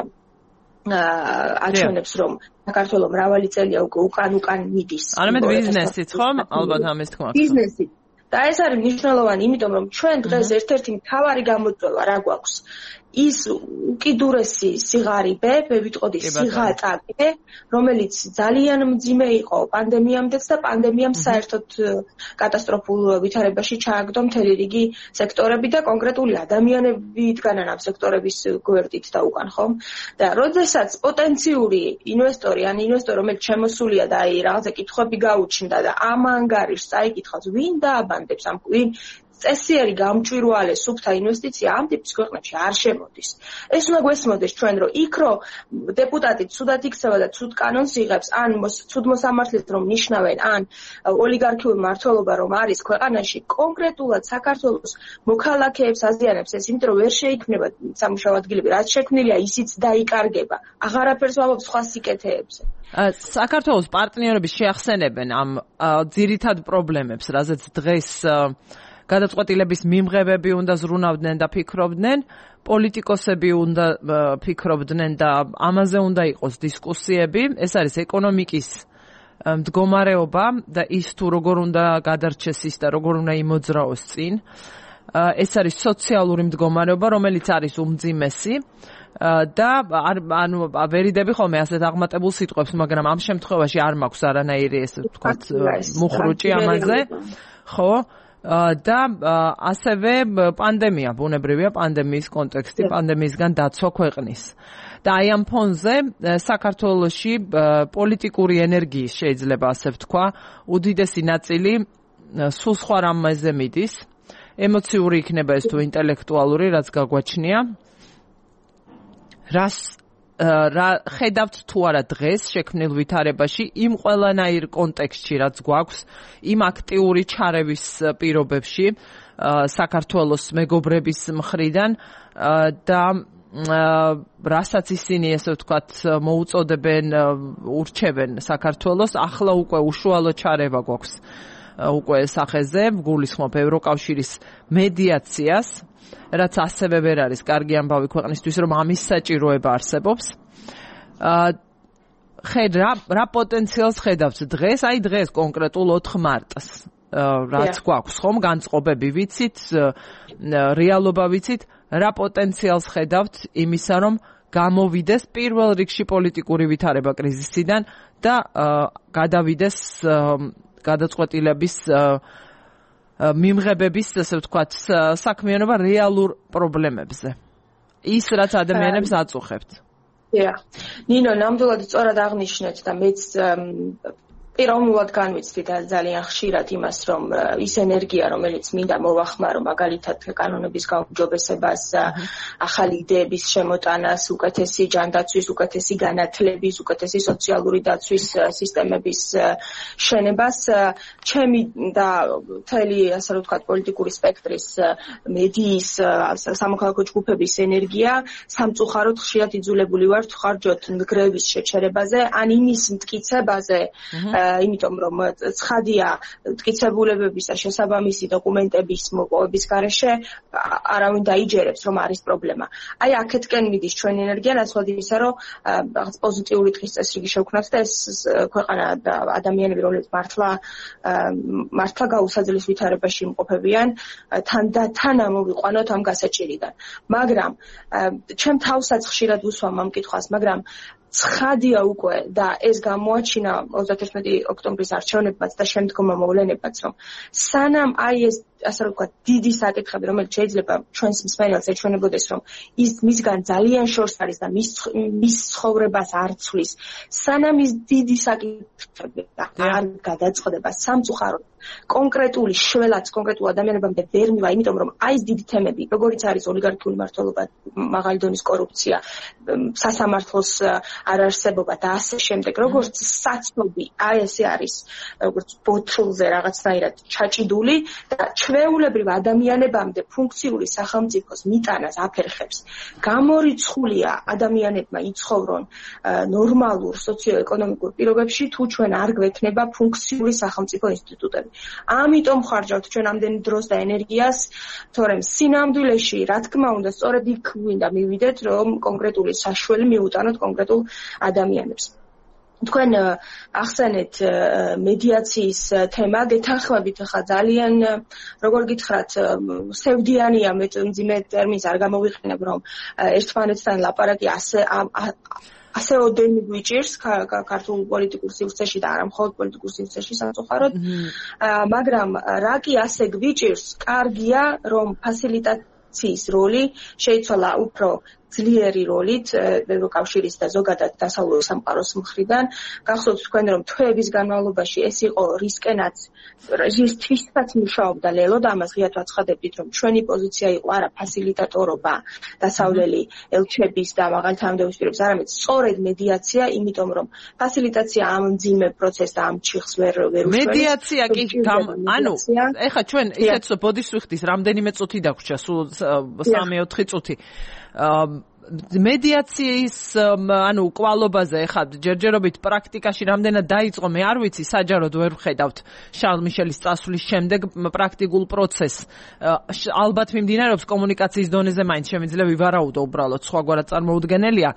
აჩვენებს, რომ საქართველოს მრავალი წელია უკვე უკან უკან მიდის. არამედ ბიზნესიც, ხომ? ალბათ ამის თქმა. ბიზნესი და ეს არის მნიშვნელოვანი, იმიტომ რომ ჩვენ დღეს ერთ-ერთი მთავარი გამოწვევა რა გვაქვს? ის უკიდურესი სიღარიბე, მე ვიტყოდი სიღატაკე, რომელიც ძალიან მძიმე იყო პანდემიამდეც და პანდემიამ საერთოდ კატასტროფულ ვითარებაში ჩააგდო მთელი რიგი სექტორები და კონკრეტული ადამიანები იდგანან ამ სექტორების გვერდით და უკან, ხომ? და როდესაც პოტენციური ინვესტორი, ან ინვესტორი, რომელიც შემოსულია და აი რაღაცა კითხვები გაუჩნდა და ამ ანგარიშს წაიკითხავს, ვინ დააბანდებს ამ ვინ წესიერი გამჭვირვალე სუფთა ინვესტიცია ამ ტიპის ქვეყნებში არ შემოდის. ეს უნდა გვესმოდეს ჩვენ, რომ იქ რო დეპუტატი ცუდად იქცევა და ცუდ კანონს იღებს, ან ცუდ მოსამართლეს რომ ნიშნავენ, ან ოლიგარქიული მმართველობა რომ არის ქვეყანაში, კონკრეტულად საქართველოს მოქალაქეებს აზიანებს ეს, იმიტომ რომ ვერ შეიქმნება სამუშაო ადგილები, რაც შექმნილია, ისიც დაიკარგება. აღარაფერს ვამბობ სხვა სიკეთეებზე. საქართველოს პარტნიორები შეახსენებენ ამ ძირითად პრობლემებს, რაზეც დღეს გადაწყვეტილების მიმღებები უნდა ზრუნავდნენ და ფიქრობდნენ, პოლიტიკოსები უნდა ფიქრობდნენ და ამაზე უნდა იყოს დისკუსიები. ეს არის ეკონომიკის მდგომარეობა და ის თუ როგორ უნდა გადარჩეს ის და როგორ უნდა იმოძრაოს წინ. ეს არის სოციალური მდგომარეობა, რომელიც არის უმძიმესი და ანუ ვერიდები ხოლმე ასეთ აღმატებულ სიტყვებს, მაგრამ ამ შემთხვევაში არ მაქვს არანაირი ესე ვთქვათ მუხრუჭი ამაზე. ხო? და ასევე პანდემია, ბუნებრივია პანდემიის კონტექსტი, პანდემიისგან დაცვა ქვეყნის. და აი ამ ფონზე საქართველოში პოლიტიკური ენერგიის შეიძლება ასე ვთქვა, უდიდესი ნაწილი სულ სხვა რამაზე მიდის. ემოციური იქნება ეს თუ ინტელექტუალური, რაც გაგვაჩნია. რას რა ხედავთ თუ არა დღეს შექმნილ ვითარებაში იმ ყველანაირ კონტექსტში, რაც გვაქვს, იმ აქტიური ჩარევის პირობებში საქართველოს მეგობრების მხრიდან და რასაც ისინი ესე ვთქვათ მოუწოდებენ, ურჩევენ საქართველოს, ახლა უკვე უშუალო ჩარევა გვაქვს უკვე სახეზე, გულისხმობ ევროკავშირის მედიაციას, რაც ასევე ვერ არის კარგი ამბავი ქვეყნისთვის, რომ ამის საჭიროება არსებობს. ხედ რა რა პოტენციალს ხედავთ დღეს, აი დღეს კონკრეტულ ოთხ მარტს, რაც გვაქვს, ხომ, განწყობები ვიცით, რეალობა ვიცით, რა პოტენციალს ხედავთ იმისა, რომ გამოვიდეს პირველ რიგში პოლიტიკური ვითარება კრიზისიდან და გადავიდეს გადაწყვეტილების მიმღებების, ასე ვთქვათ, საქმიანობა რეალურ პრობლემებზე. ის, რაც ადამიანებს აწუხებთ. დიახ. ნინო, ნამდვილად სწორად აღნიშნეთ და მეც პიროვნულად განვიცდი და ძალიან ხშირად იმას, რომ ის ენერგია, რომელიც მინდა მოვახმარო, მაგალითად კანონების გაუმჯობესებას, ახალი იდეების შემოტანას, უკეთესი ჯანდაცვის, უკეთესი განათლების, უკეთესი სოციალური დაცვის სისტემების შენებას, ჩემი და მთელი, ასე რომ ვთქვათ, პოლიტიკური სპექტრის, მედიის, სამოქალაქო ჯგუფების ენერგია სამწუხაროდ ხშირად იძულებული ვართ ვხარჯოთ ნგრევის შეჩერებაზე, ან იმის მტკიცებაზე, იმიტომ რომ ცხადია მტკიცებულებების და შესაბამისი დოკუმენტების მოპოვების გარეშე არავინ დაიჯერებს რომ არის პრობლემა. აი აქეთკენ მიდის ჩვენი ენერგია ნაცვლად იმისა, რომ რაღაც პოზიტიური დღის წესრიგი შევქმნათ და ეს ქვეყანა და ადამიანები, რომლებიც მართლა მართლა გაუსაძლეს ვითარებაში იმყოფებიან, თან და თან ამოვიყვანოთ ამ გასაჭირიდან. მაგრამ ჩემ თავსაც ხშირად ვუსვამ ამ კითხვას, მაგრამ ცხადია უკვე და ეს გამოაჩინა ოცდაერთი ოქტომბრის არჩევნებმაც და შემდგომ მოვლენებმაც, რომ სანამ აი ეს ასე რომ ვთქვათ, დიდი საკითხები, რომელიც შეიძლება ჩვენს მსმენელს ეჩვენებოდეს, რომ ის მისგან ძალიან შორს არის და მის მის ცხოვრებას არ ცვლის, სანამ ის დიდი საკითხები არ გადაწყდება სამწუხაროდ კონკრეტული შველაც კონკრეტულ ადამიანებამდე ვერ მივა, იმიტომ რომ აი ეს დიდი თემები, როგორიც არის ოლიგარქიული მმართველობა, მაღალი დონის კორუფცია, სასამართლოს არარსებობა და ასე შემდეგ, როგორც საცნობი, აი ესე არის, როგორც ბოთლზე რაღაცნაირად ჩაჭიდული და ჩვეულებრივ ადამიანებამდე ფუნქციური სახელმწიფოს მიტანას აფერხებს. გამორიცხულია ადამიანებმა იცხოვრონ ნორმალურ სოციო-ეკონომიკურ პირობებში, თუ ჩვენ არ გვექნება ფუნქციური სახელმწიფო ინსტიტუტები. ამიტომ ხარჯავთ ჩვენ ამდენი დროს და ენერგიას, თორემ სინამდვილეში, რა თქმა უნდა, სწორედ იქ გვინდა მივიდეთ, რომ კონკრეტული საშველი მიუტანოთ კონკრეტულ ადამიანებს. თქვენ ახსენეთ მედიაციის თემა, გეთანხმებით ხა ძალიან, როგორ გითხრათ, სევდიანია, მე მძიმე ტერმინს არ გამოვიყენებ, რომ ერთმანეთთან ლაპარაკი ასე ასე ოდენი გვიჭირს ქართულ პოლიტიკურ სივრცეში და არა მხოლოდ პოლიტიკურ სივრცეში სამწუხაროდ, მაგრამ რა კი ასე გვიჭირს, კარგია, რომ ფასილიტაციის როლი შეიცვალა უფრო ძლიერი როლით ევროკავშირის და ზოგადად დასავლური სამყაროს მხრიდან. გახსოვთ თქვენ, რომ თვეების განმავლობაში ეს იყო რისკენაც, რისთვისაც მუშაობდა ლელო და ამას ღიად ვაცხადებდით, რომ ჩვენი პოზიცია იყო არა ფასილიტატორობა დასავლელი ელჩების და მაღალი თანამდებობის პირების, არამედ სწორედ მედიაცია, იმიტომ რომ ფასილიტაცია ამ მძიმე პროცესს და ამ ჩიხს ვერ ვერ უშველებს. მედიაცია კი ანუ ეხლა ჩვენ ისეთ ბოდიშს ვიხდის, რამდენიმე წუთი დაგვრჩა, სულ სამი ოთხი წუთი. მედიაციის ანუ კვალობაზე ეხლა ჯერჯერობით პრაქტიკაში რამდენად დაიწყო, მე არ ვიცი, საჯაროდ ვერ ვხედავთ შარლ მიშელის წასვლის შემდეგ პრაქტიკულ პროცესს. ალბათ მიმდინარეობს კომუნიკაციის დონეზე, მაინც შემიძლია ვივარაუდო უბრალოდ, სხვაგვარად წარმოუდგენელია.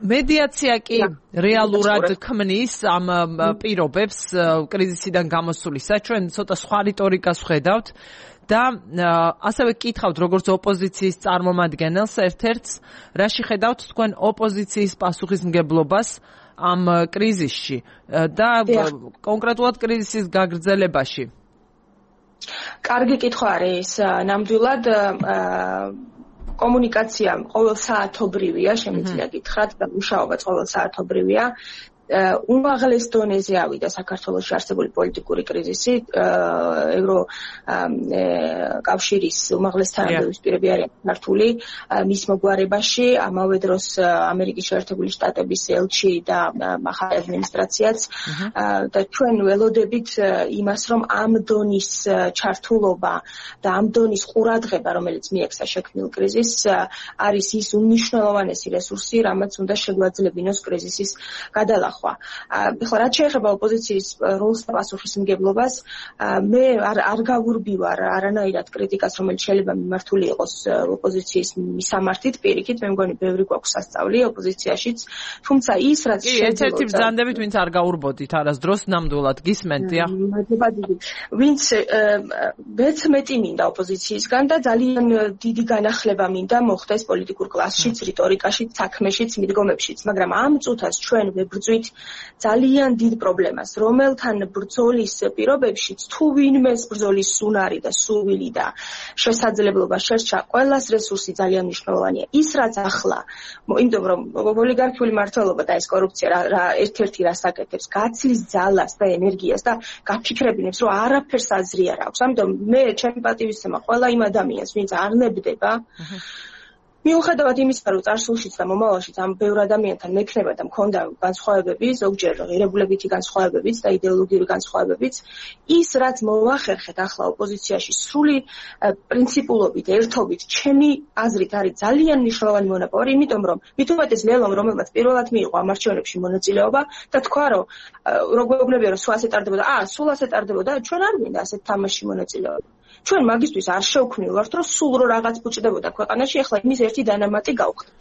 მედიაცია კი რეალურად ქმნის ამ პირობებს კრიზისიდან გამოსვლისა. ჩვენ ცოტა სხვა რიტორიკას ვხედავთ. და ასევე კითხავთ როგორც ოპოზიციის წარმომადგენელს ერთ-ერთს, რაში ხედავთ თქვენ ოპოზიციის პასუხისმგებლობას ამ კრიზისში და კონკრეტულად კრიზისის გაგრძელებაში? კარგი კითხვა არის, ნამდვილად კომუნიკაცია ყოველსაათობრივია, შემიძლია გითხრათ და მუშაობაც ყოველსაათობრივია. უმაღლეს დონეზე ავიდა საქართველოში არსებული პოლიტიკური კრიზისი, ევრო კავშირის უმაღლეს თანამდებობის პირები არიან ქართული მის მოგვარებაში, ამავე დროს ამერიკის შეერთებული შტატების ელჩი და ახალი ადმინისტრაციაც და ჩვენ ველოდებით იმას, რომ ამ დონის ჩართულობა და ამ დონის ყურადღება, რომელიც მიექცა შექმნილ კრიზისს, არის ის უმნიშვნელოვანესი რესურსი, რამაც უნდა შეგვაძლებინოს კრიზისის გადალახვა. ახლა რაც შეეხება ოპოზიციის როლს და პასუხისმგებლობას, მე არ არ გავურბივარ არანაირად კრიტიკას, რომელიც შეიძლება მიმართული იყოს ოპოზიციის მისამართით, პირიქით, მე მგონი ბევრი გვაქვს სასწავლი ოპოზიციაშიც, თუმცა ის რაც შეიძლება ერთ-ერთი ბრძანდებით, ვინც არ გაურბოდით არასდროს ნამდვილად გისმენთ, მადლობა დიდი. ვინც მეც მეტი მინდა ოპოზიციისგან და ძალიან დიდი განახლება მინდა მოხდეს პოლიტიკურ კლასშიც, რიტორიკაშიც, საქმეშიც, მიდგომებშიც, მაგრამ ამ წუთას ჩვენ ვებრძვით ძალიან დიდ პრობლემას, რომელთან ბრძოლის პირობებშიც თუ ვინმეს ბრძოლის უნარი და სურვილი და შესაძლებლობა შერჩა, ყველას რესურსი ძალიან მნიშვნელოვანია. ის რაც ახლა, იმიტომ რომ ოლიგარქიული მმართველობა და ეს კორუფცია რა ერთ-ერთი რას აკეთებს, გაცლის ძალას და ენერგიას და გაფიქრებინებს, რომ არაფერს აზრი არ აქვს. ამიტომ მე ჩემი პატივისცემა ყველა იმ ადამიანს, ვინც არ ნებდება, მიუხედავად იმისა, რომ წარსულშიც და მომავალშიც ამ ბევრ ადამიანთან მექნება და მქონდა განსხვავებები, ზოგჯერ ღირებულებითი განსხვავებებიც და იდეოლოგიური განსხვავებებიც, ის რაც მოახერხეთ ახლა ოპოზიციაში სრული პრინციპულობით, ერთობით, ჩემი აზრით არის ძალიან მნიშვნელოვანი მონაპოვარი, იმიტომ რომ მით უმეტეს ლელომ, რომელმაც პირველად მიიღო ამ არჩევნებში მონაწილეობა და თქვა, რომ რო გვეუბნებია, რომ სულ ასე ტარდებოდა, აა, სულ ასე ტარდებოდა, ჩვენ არ გვინდა ასეთ თამაშში მონაწილეობა. ჩვენ მაგისტვის არ შევქმნილვართ, რომ სულ რო რაღაც ბუჭდებოდა ქვეყანაში, ახლა იმის ერთი დანამატი გავხდით.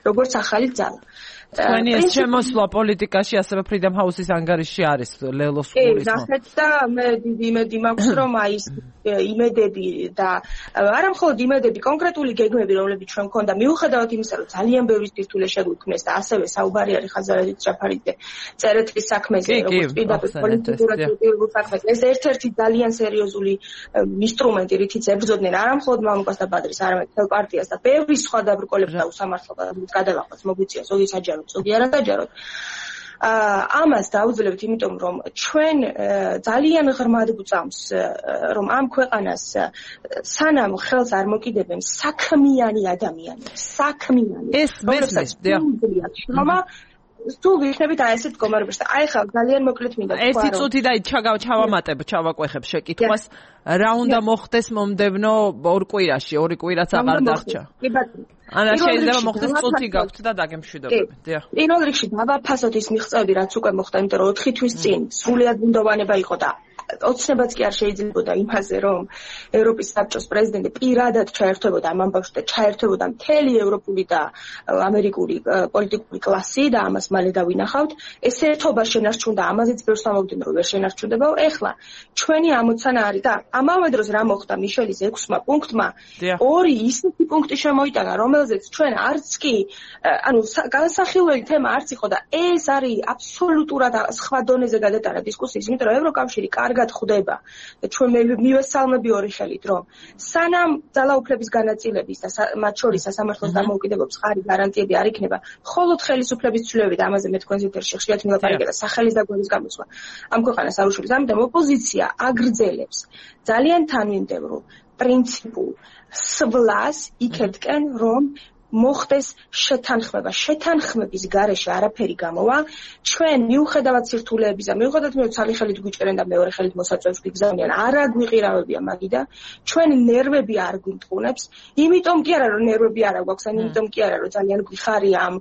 როგორც ახალი ძალა. თქვენი ეს შემოსვლა პოლიტიკაში ასევე Freedom House-ის ანგარიში არის ლელოს გულისხმობ. კი, ნახეთ და მე დიდი იმედი მაქვს, რომ აი ეს იმედები და არა მხოლოდ იმედები, კონკრეტული გეგმები, რომლებიც ჩვენ მქონდა, მიუხედავად იმისა, რომ ძალიან ბევრი სირთულე შეგვიქმნეს და ასევე საუბარი არის ხაზარაძის ჯაფარიძე წერეთლის საქმეზე, როგორც პირდაპირ პოლიტიკურად საქმეზე. ეს ერთ-ერთი ძალიან სერიოზული ინსტრუმენტი, რითიც ებრძოდნენ არა მხოლოდ მამუკას და ბადრის, არამედ მთელ პარტიას და ბევრი სხვა დაბრკოლებს და უსამართლობას გადალახვას მოგვიწია ზოგი საჯაროდ, ზოგი არასაჯაროდ. ამას დაუძლებთ, იმიტომ რომ ჩვენ ძალიან ღრმად გვწამს, რომ ამ ქვეყანას სანამ ხელს არ მოკიდებენ საქმიანი ადამიანები, საქმიანი. ეს მესმის, დიახ. თუ ვიქნებით აი ესეთ მდგომარეობაში და აი ხა ძალიან მოკლედ მინდა თქვა რომ ერთი წუთი და ჩავამატებ, ჩავაკვეხებ შეკითხვას, რა უნდა მოხდეს მომდევნო ორ კვირაში, ორი კვირაც აღარ დარჩა. კი ბატონო. ანა შეიძლება მოხდეს წუთი გაქვთ და დაგემშვიდობები. დიახ. პირველ რიგში დავაფასოთ ის მიღწევები, რაც უკვე მოხდა, იმიტომ რომ ოთხი თვის წინ სრულიად ბუნდოვანება იყო და ოცნებაც კი არ შეიძლებოდა იმაზე, რომ ევროპის საბჭოს პრეზიდენტი პირადად ჩაერთვებოდა ამ ამბავში და ჩაერთვებოდა მთელი ევროპული და ამერიკული პოლიტიკური კლასი და ამას მალე დავინახავთ. ეს ერთობა შენარჩუნდა, ამაზეც ბევრს ამოვიდნენ, რომ ვერ შენარჩუნდებაო. ეხლა ჩვენი ამოცანა არის და ამავე დროს რა მოხდა მიშელის ექვსმა პუნქტმა, ორი ისეთი პუნქტი შემოიტანა, რომელზეც ჩვენ არც კი, ანუ განსახილველი თემა არც იყო და ეს არის აბსოლუტურად სხვა დონეზე გადატანა დისკუსიის, იმიტომ რომ ევროკავშირი კარგად ხვდება და ჩვენ მივესალმები ორი ხელით, რომ სანამ ძალაუფლების განაწილების და მათ შორის სასამართლოს დამოუკიდებლობის ხარი გარანტიები არ იქნება, მხოლოდ ხელისუფლების ცვლილებები და ამაზე მე თქვენს ეთერში ხშირად მილაპარაკე და სახელის და გვერდის გამოსვლა ამ ქვეყანას არ უშუალებს. ამიტომ ოპოზიცია აგრძელებს ძალიან თანმიმდევრულ პრინციპულ სვლას იქეთკენ, რომ მოხდეს შეთანხმება. შეთანხმების გარეშე არაფერი გამოვა. ჩვენ მიუხედავად სირთულეებისა, მიუხედავად მე ცალი ხელით გვიჭერენ და მეორე ხელით მოსაწვევს გვიგზავნიან, არა გვიყირავებია მაგიდა. ჩვენ ნერვები არ გვიმტყუნებს. იმიტომ კი არა, რომ ნერვები არ აქვს, ან იმიტომ კი არა, რომ ძალიან გვიხარია ამ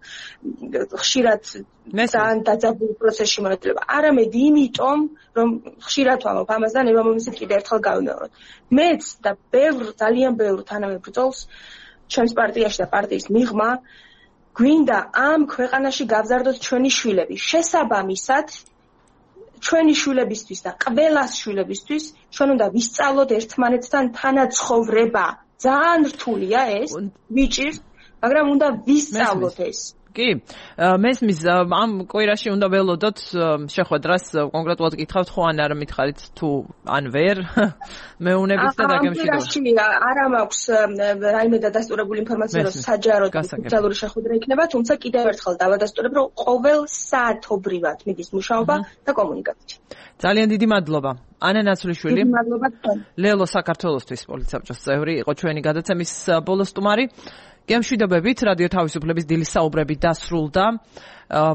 ხშირად ძალიან დაძაბულ პროცესში მონაწილეობა. არამედ იმიტომ, რომ ხშირად ვამბობ ამას და ნება მომისით კიდევ ერთხელ გავიმეოროთ. მეც და ბევრ ძალიან ბევრ თანამებრძოლს ჩემს პარტიაში და პარტიის მიღმა გვინდა ამ ქვეყანაში გავზარდოთ ჩვენი შვილები. შესაბამისად, ჩვენი შვილებისთვის და ყველას შვილებისთვის ჩვენ უნდა ვისწავლოთ ერთმანეთთან თანაცხოვრება. ძალიან რთულია ეს, ვიჭირს, მაგრამ უნდა ვისწავლოთ ეს. კი, მესმის ამ კვირაში უნდა ველოდოთ შეხვედრას კონკრეტულად გითხავთ ხო ან არა მითხარით თუ ან ვერ მეუნებით და დაგემშვიდობებით. ამ კვირაში არა მაქვს რაიმე დადასტურებული ინფორმაცია, რომ საჯაროდ ოფიციალური შეხვედრა იქნება, თუმცა კიდევ ერთხელ დავადასტურებ, რომ ყოველ საათობრივად მიდის მუშაობა და კომუნიკაცია. ძალიან დიდი მადლობა. ანა ნაცვლიშვილი, მადლობა თქვენ. ლელო საქართველოსთვის პოლიცსაბჭოს წევრი იყო ჩვენი გადაცემის ბოლო სტუმარი. გემშვიდობებით, რადიო თავისუფლების დილის საუბრები დასრულდა.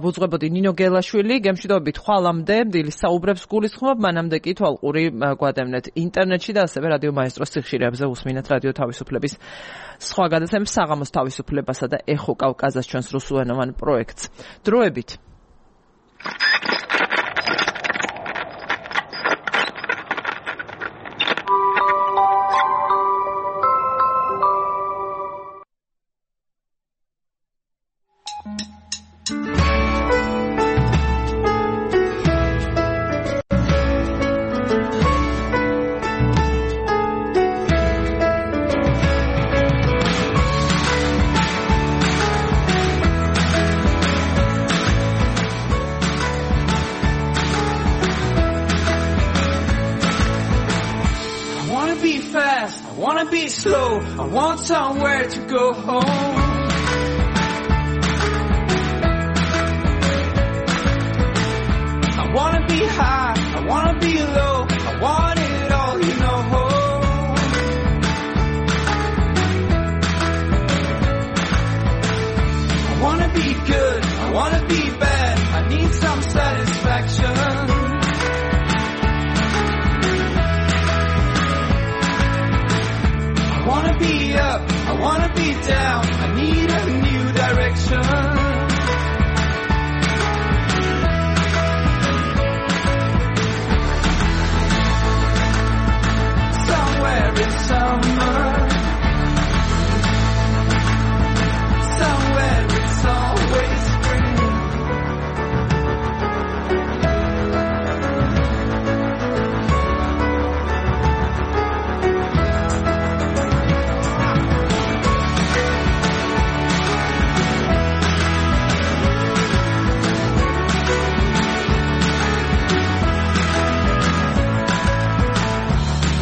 ვუძღვებოდი ნინო გელაშვილი, გემშვიდობებით ხვალამდე დილის საუბრებს გულისხმობ, მანამდე კი თვალყური გვადევნეთ ინტერნეტში და ასევე რადიო მაესტროს ციხშირეებზე უსმინეთ რადიო თავისუფლების სხვა გადაცემებს, საღამოს თავისუფლებასა და ეხო კავკაზას ჩვენს რუსულენოვან პროექტს. დროებით. wanna be slow, I want somewhere to go home. I wanna be high, I wanna be low, I want it all, you know. I wanna be good, I wanna be bad, I need some satisfaction. I wanna be up, I wanna be down, I need a new direction. Somewhere in summer, somewhere it's always spring.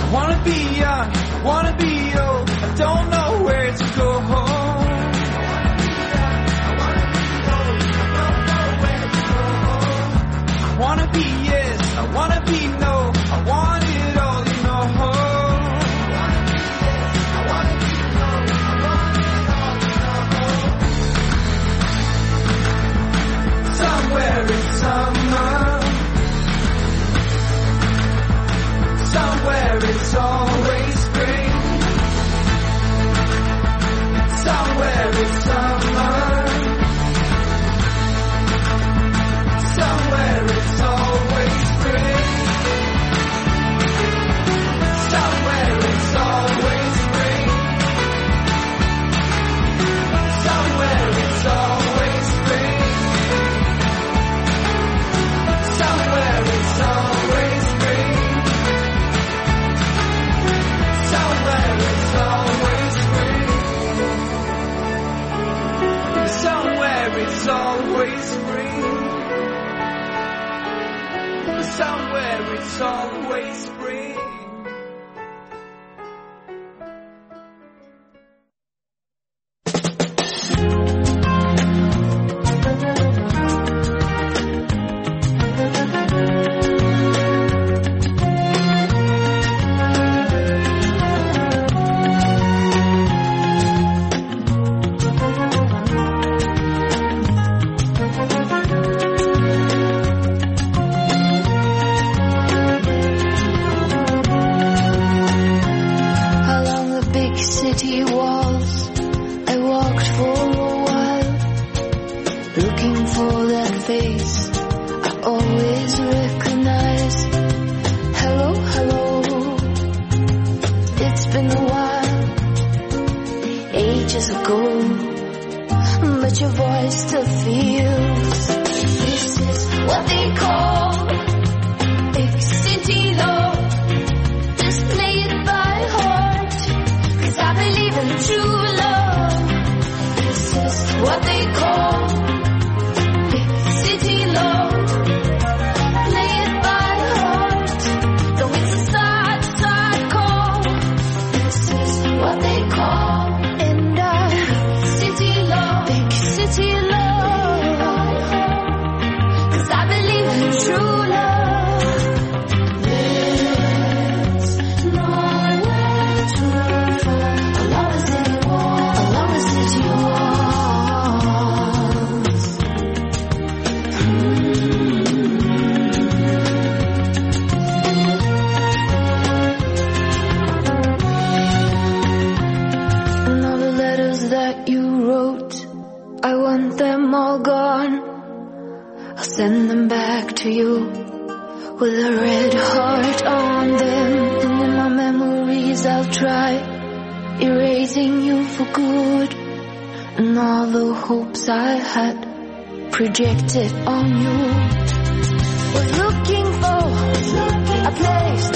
I wanna be young, I wanna be old, I don't know where to go home. I wanna be yes, I wanna be no, I want it all, you know. I wanna be no, I want it all, you know. Somewhere in summer, somewhere it's always spring. Somewhere it's summer, somewhere it's always spring. Somewhere it's always spring. Somewhere it's always spring. Somewhere it's always spring. Somewhere it's always spring. Somewhere it's always spring. Somewhere it's always spring. City walls, I walked for a while, looking for that face I always recognize. Hello, hello, it's been a while, ages ago, but your voice still feels. This is what they call big city love. Just play it by heart, I believe in true love. This is what they call big city love. Play it by heart, though it's a sad, sad call. This is what they call and I city love, big city love. 'Cause I believe in true love. Them all gone, I'll send them back to you with a red heart on them. And in my memories I'll try erasing you for good, and all the hopes I had projected on you. Was looking for a place